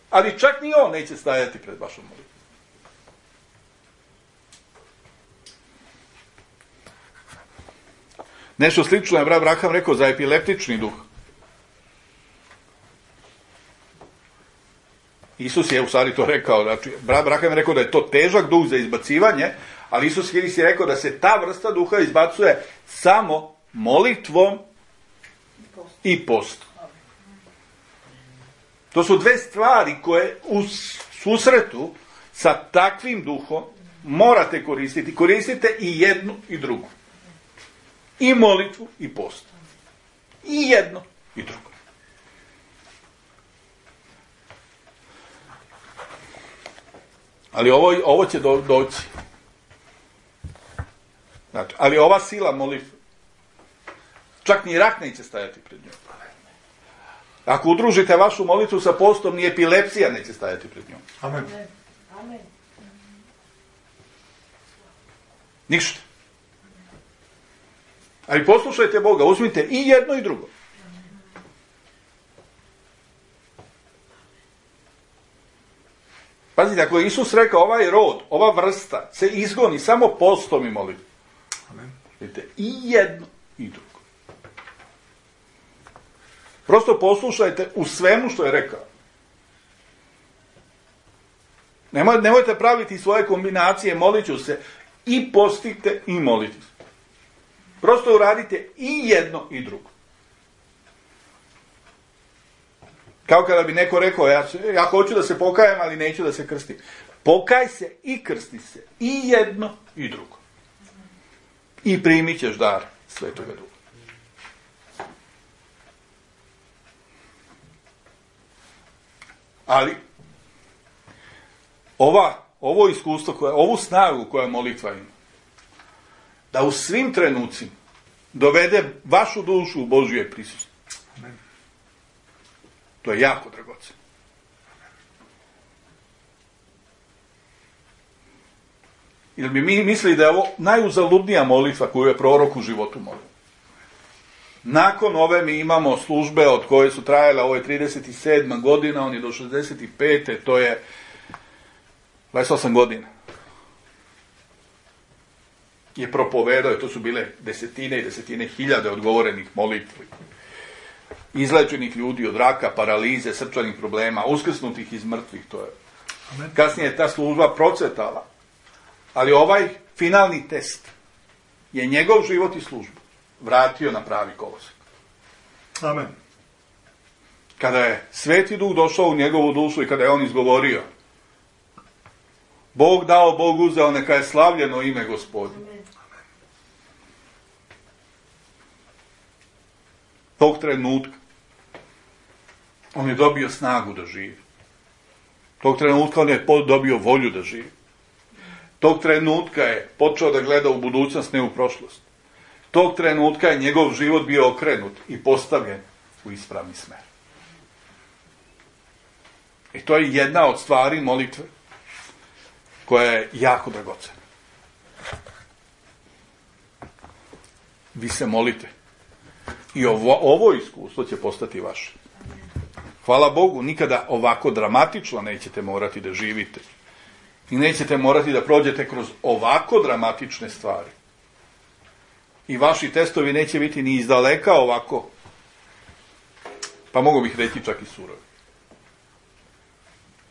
Ali čak ni on neće stajati pred vašom molitvom. Nešto slično je brat Braham rekao za epileptični duh. Isus je u stvari to rekao, znači, brat Braham je rekao da je to težak duh za izbacivanje, ali Isus Hrist je rekao da se ta vrsta duha izbacuje samo molitvom i postom. To su dve stvari koje u susretu sa takvim duhom morate koristiti. Koristite i jednu i drugu. I molitvu i post. I jedno i drugo. Ali ovo će doći. Znači, ali ova sila molitve, čak ni rak neće stajati pred njom. Ako udružite vašu molitvu sa postom, ni epilepsija neće stajati pred njom. Amen. Amen. Ništa. Ali poslušajte Boga, uzmite i jedno i drugo. Pazite, ako je Isus rekao ovaj rod, ova vrsta se izgoni samo postom i molitvom. Amen. Vidite, i jedno i drugo. Prosto poslušajte u svemu što je rekao. Nemojte praviti svoje kombinacije, molit ću se, i postite i molite se. Prosto uradite i jedno i drugo. Kao kada bi neko rekao, ja hoću da se pokajem, ali neću da se krstim. Pokaj se i krsti se. I jedno i drugo. I primit ćeš dar Svetoga Duha. Ali, ovo iskustvo, ovu snagu koja molitva ima, da u svim trenucima dovede vašu dušu u Božje prisustvo. Amen. To je jako dragoceno. Ili bi mi mislili da je ovo najuzaludnija molitva koju je prorok u životu molio. Nakon ove mi imamo službe od koje su trajale, ovo je 37. godina, on je do 65. To je 28 godina. Je propovedao, to su bile desetine i desetine hiljade odgovorenih molitvi. Izlečenih ljudi od raka, paralize, srčanih problema, uskrsnutih iz mrtvih, to je. Amen. Kasnije je ta služba procvetala. Ali ovaj finalni test je njegov život i službu vratio na pravi kolosek. Amen. Kada je Sveti Duh došao u njegovu dušu i kada je on izgovorio Bog dao, Bog uzeo, neka je slavljeno ime Gospodnje. Tog trenutka on je dobio snagu da živi. Tog trenutka on je dobio volju da živi. Tog trenutka je počeo da gleda u budućnost, ne u prošlost. Tog trenutka je njegov život bio okrenut i postavljen u ispravni smer. I to je jedna od stvari molitve. koja je jako dragocena. Vi se molite. I ovo iskustvo će postati vaše. Hvala Bogu, nikada ovako dramatično nećete morati da živite. I nećete morati da prođete kroz ovako dramatične stvari. I vaši testovi neće biti ni izdaleka ovako, pa mogu bih reći čak i surovi.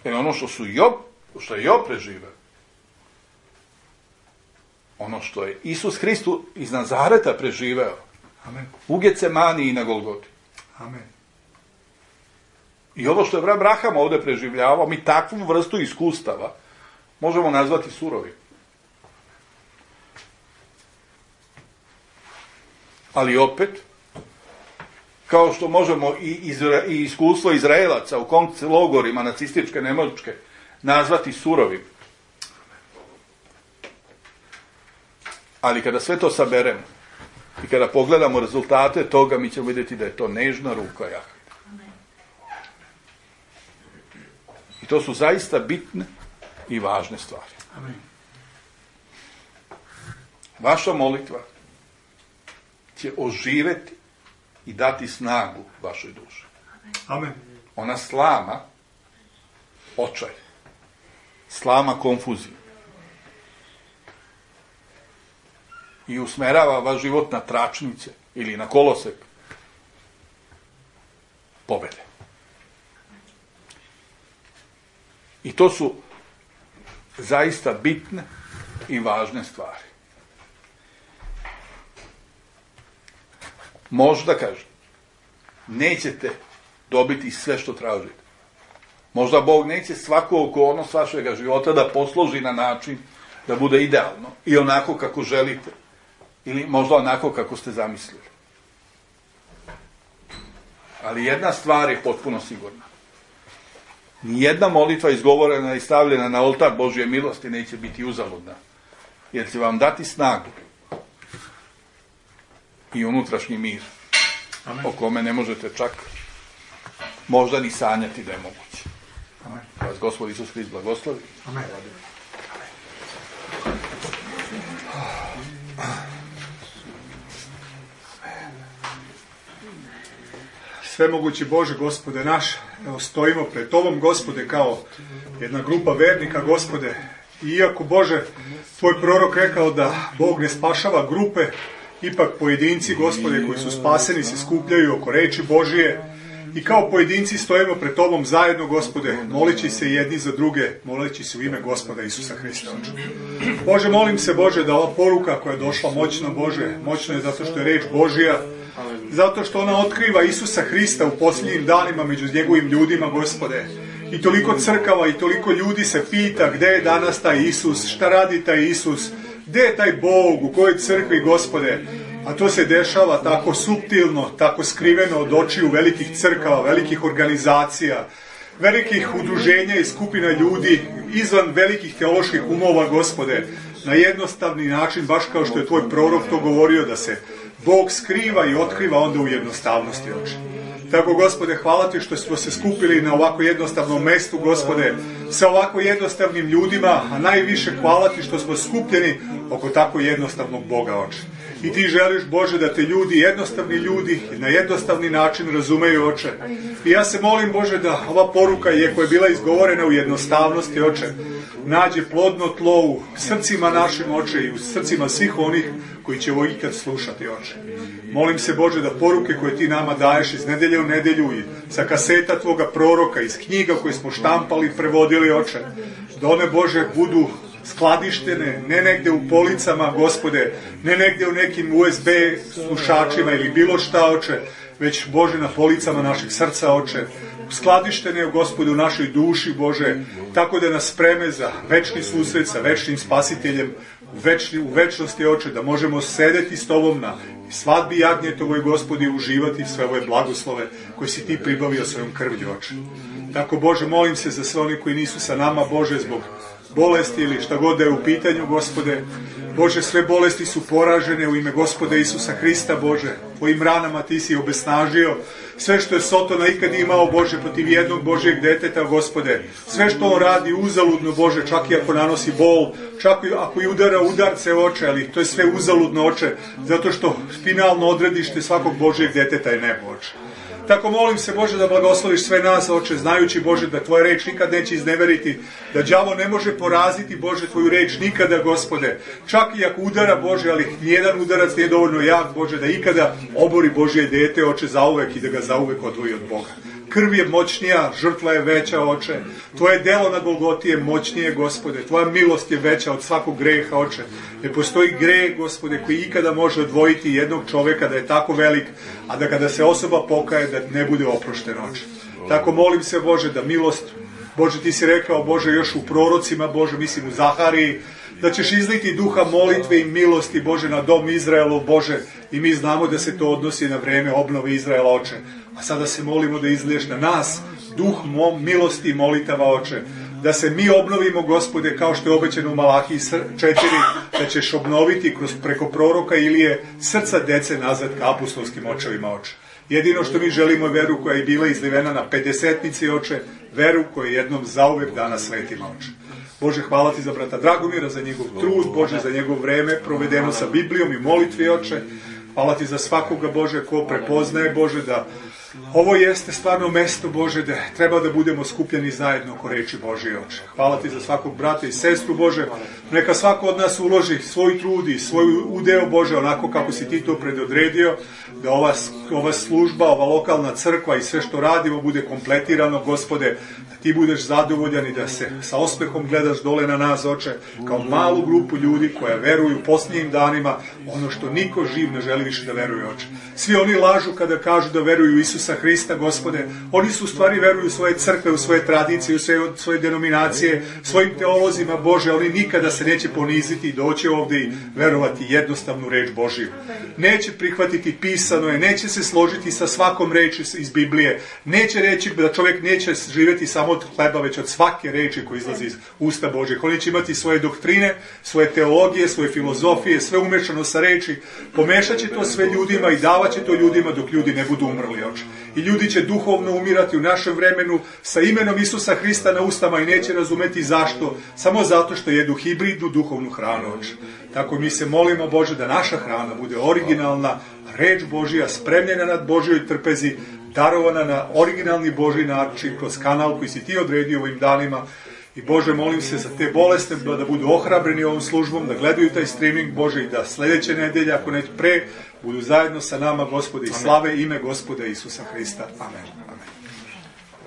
Jer ono što je Job preživeo, ono što je Isus Hristos iz Nazareta preživeo, Amen. u Getsemani i na Golgoti. Amen. I ovo što je Abraham ovdje preživljavao, mi takvu vrstu iskustava možemo nazvati surovim. Ali opet, kao što možemo i iskustvo Izraelaca u koncentraciji nacističke Nemačke nazvati surovim. Ali kada sve to saberemo i kada pogledamo rezultate toga, mi ćemo vidjeti da je to nežna ruka Jahve. I to su zaista bitne i važne stvari. Amen. Vaša molitva će oživeti i dati snagu vašoj duši. Amen. Ona slama očaj, slama konfuziju i usmerava vaš život na tračnice ili na kolosek pobede. I to su zaista bitne i važne stvari. Možda, kažem, nećete dobiti sve što tražite. Možda Bog neće svaku okolnost vašega života da posloži na način da bude idealno i onako kako želite. Ili možda onako kako ste zamislili. Ali jedna stvar je potpuno sigurna. Nijedna molitva izgovorena i stavljena na oltar Božje milosti neće biti uzaludna. Jer će vam dati snagu i unutrašnji mir. Amen. O kome ne možete čak možda ni sanjati da je moguće. Amen. Vas Gospod Isus Hrist blagoslovi. Amen. Svemogući Bože, Gospode naš, evo stojimo pred Tobom, Gospode, kao jedna grupa vernika, Gospode. Iako, Bože, Tvoj prorok rekao da Bog ne spašava grupe, ipak pojedinci, Gospode, koji su spaseni, se skupljaju oko reči Božije i kao pojedinci stojimo pred Tobom zajedno, Gospode, moleći se jedni za druge, moleći se u ime Gospoda Isusa Hrista. Bože, molim se, Bože, da ova poruka koja je došla moćna, Bože, moćna je zato što je reč Božija, zato što ona otkriva Isusa Hrista u posljednjim danima među njegovim ljudima, Gospode. I toliko crkava i toliko ljudi se pita gdje je danas taj Isus, šta radi taj Isus, gdje je taj Bog, u kojoj crkvi, Gospode. A to se dešava tako suptilno, tako skriveno od očiju velikih crkava, velikih organizacija, velikih udruženja i skupina ljudi izvan velikih teoloških umova, Gospode. Na jednostavni način, baš kao što je Tvoj prorok to govorio, da se Bog skriva i otkriva onda u jednostavnosti, Oče. Tako, Gospode, hvala Ti što smo se skupili na ovako jednostavnom mestu, Gospode, sa ovako jednostavnim ljudima, a najviše hvala Ti što smo skupljeni oko tako jednostavnog Boga, Oče. I Ti želiš, Bože, da te ljudi, jednostavni ljudi, na jednostavni način razumeju, Oče. I ja se molim, Bože, da ova poruka koja je bila izgovorena u jednostavnosti, Oče, nađe plodno tlo u srcima našim, Oče, i u srcima svih onih koji će ovo ikad slušati, Oče. Molim se, Bože, da poruke koje Ti nama daješ iz nedelje u nedelju i sa kaseta Tvoga proroka, iz knjiga koje smo štampali i prevodili, Oče, da one, Bože, budu skladištene, ne negde u policama, Gospode, ne negde u nekim USB slušačima ili bilo šta, Oče, već, Bože, na policama naših srca, Oče, skladištene, Gospode, u našoj duši, Bože, tako da nas spreme za večni susret sa večnim spasiteljem, u večnosti, Oče, da možemo sedeti s Tobom na i svadbi jagnjetovoj, Gospodi, uživati sve ove blagoslove koje si ti pribavio svojom krvlju, Oče. Tako, Bože, molim se za sve oni koji nisu sa nama, Bože, zbog bolesti ili šta god da je u pitanju, Gospode. Bože, sve bolesti su poražene u ime Gospoda Isusa Hrista, Bože. Tvojim ranama ti si obesnažio sve što je Sotona ikad imao, Bože, protiv jednog Božjeg deteta, Gospode. Sve što on radi uzaludno, Bože, čak i ako nanosi bol, čak i ako i udara udarce, Oče, ali to je sve uzaludno, Oče, zato što finalno odredište svakog Božjeg deteta je nebo, Oče. Tako molim se, Bože, da blagosloviš sve nas, Oče, znajući, Bože, da Tvoja reč nikad neće izneveriti, da đavo ne može poraziti, Bože, Tvoju reč nikada, Gospode. Čak i ako udara, Bože, ali nijedan udarac nije dovoljno jak, Bože, da ikada obori Božje dete, Oče, zauvek i da ga zauvek odvoji od Boga. Krv je moćnija, žrtva je veća, Oče. Tvoje delo na Golgoti je moćnije, Gospode. Tvoja milost je veća od svakog greha, Oče. Ne postoji greh, Gospode, koji ikada može odvojiti jednog čoveka da je tako velik, a da kada se osoba pokaje da ne bude oprošten, Oče. Tako molim se, Bože, da milost, Bože, ti si rekao, Bože, još u prorocima, Bože, mislim u Zahariji, da ćeš izliti duha molitve i milosti, Bože, na dom Izraelu, Bože, i mi znamo da se to odnosi na vreme obnove Izraela, Oče. A sada se molimo da izliješ na nas duh milosti i molitava, Oče. Da se mi obnovimo, Gospode, kao što je obećano u Malahiji 4, da ćeš obnoviti preko proroka Ilije srca dece nazad ka apostolskim očevima, Oče. Jedino što mi želimo je veru koja je bila izlivena na pedesetnici, Oče, veru koja je jednom zauvek dana svetima, Oče. Bože, hvala ti za brata Dragomira, za njegov trud, Bože, za njegov vreme provedeno sa Biblijom i molitvi, Oče. Hvala ti za svakoga, Bože, ko prepoznaje, Bože, da ovo jeste stvarno mesto, Bože, da treba da budemo skupljeni zajedno oko reči Božje, Oče. Hvala ti za svakog brata i sestru, Bože. Neka svako od nas uloži svoj trud i svoj udeo, Bože, onako kako si ti to predodredio, da ova služba, ova lokalna crkva i sve što radimo bude kompletirano, Gospode, da ti budeš zadovoljan i da se sa osmehom gledaš dole na nas, Oče, kao malu grupu ljudi koja veruju u posljednjim danima ono što niko živ ne želi više da veruje, Oče. Svi oni lažu kada kažu da veruju u Isusa Hrista, Gospode. Oni su u stvari veruju u svoje crkve, u svoje tradicije, u svoje denominacije, svojim teolozima, Bože, oni nikada se neće poniziti i doći ovdje i verovati jednostavnu reč Božiju. Neće prihvatiti pisano je, neće se složiti sa svakom reči iz Biblije, neće reći da čovjek neće živjeti samo od hleba, već od svake reči koja izlazi iz usta Božih. Oni će imati svoje doktrine, svoje teologije, svoje filozofije, sve umešano sa reči, pomešat će to sve ljudima i davat će to ljudima dok ljudi ne budu umrli, Oče. I ljudi će duhovno umirati u našem vremenu sa imenom Isusa Hrista na ustama i neće razumeti zašto, samo zato što jedu hibridnu duhovnu hranu, Oče. Tako mi se molimo, Bože, da naša hrana bude originalna, reč Božija, spremljena nad Božjoj trpezi, darovana na originalni Božji način, kroz kanal koji si ti odredio ovim danima. I Bože, molim se za te bolesne da budu ohrabreni ovom službom, da gledaju taj streaming, Bože, i da sljedeće nedelje, ako ne pre, budu zajedno sa nama, Gospode, i slave ime Gospoda Isusa Hrista. Amen.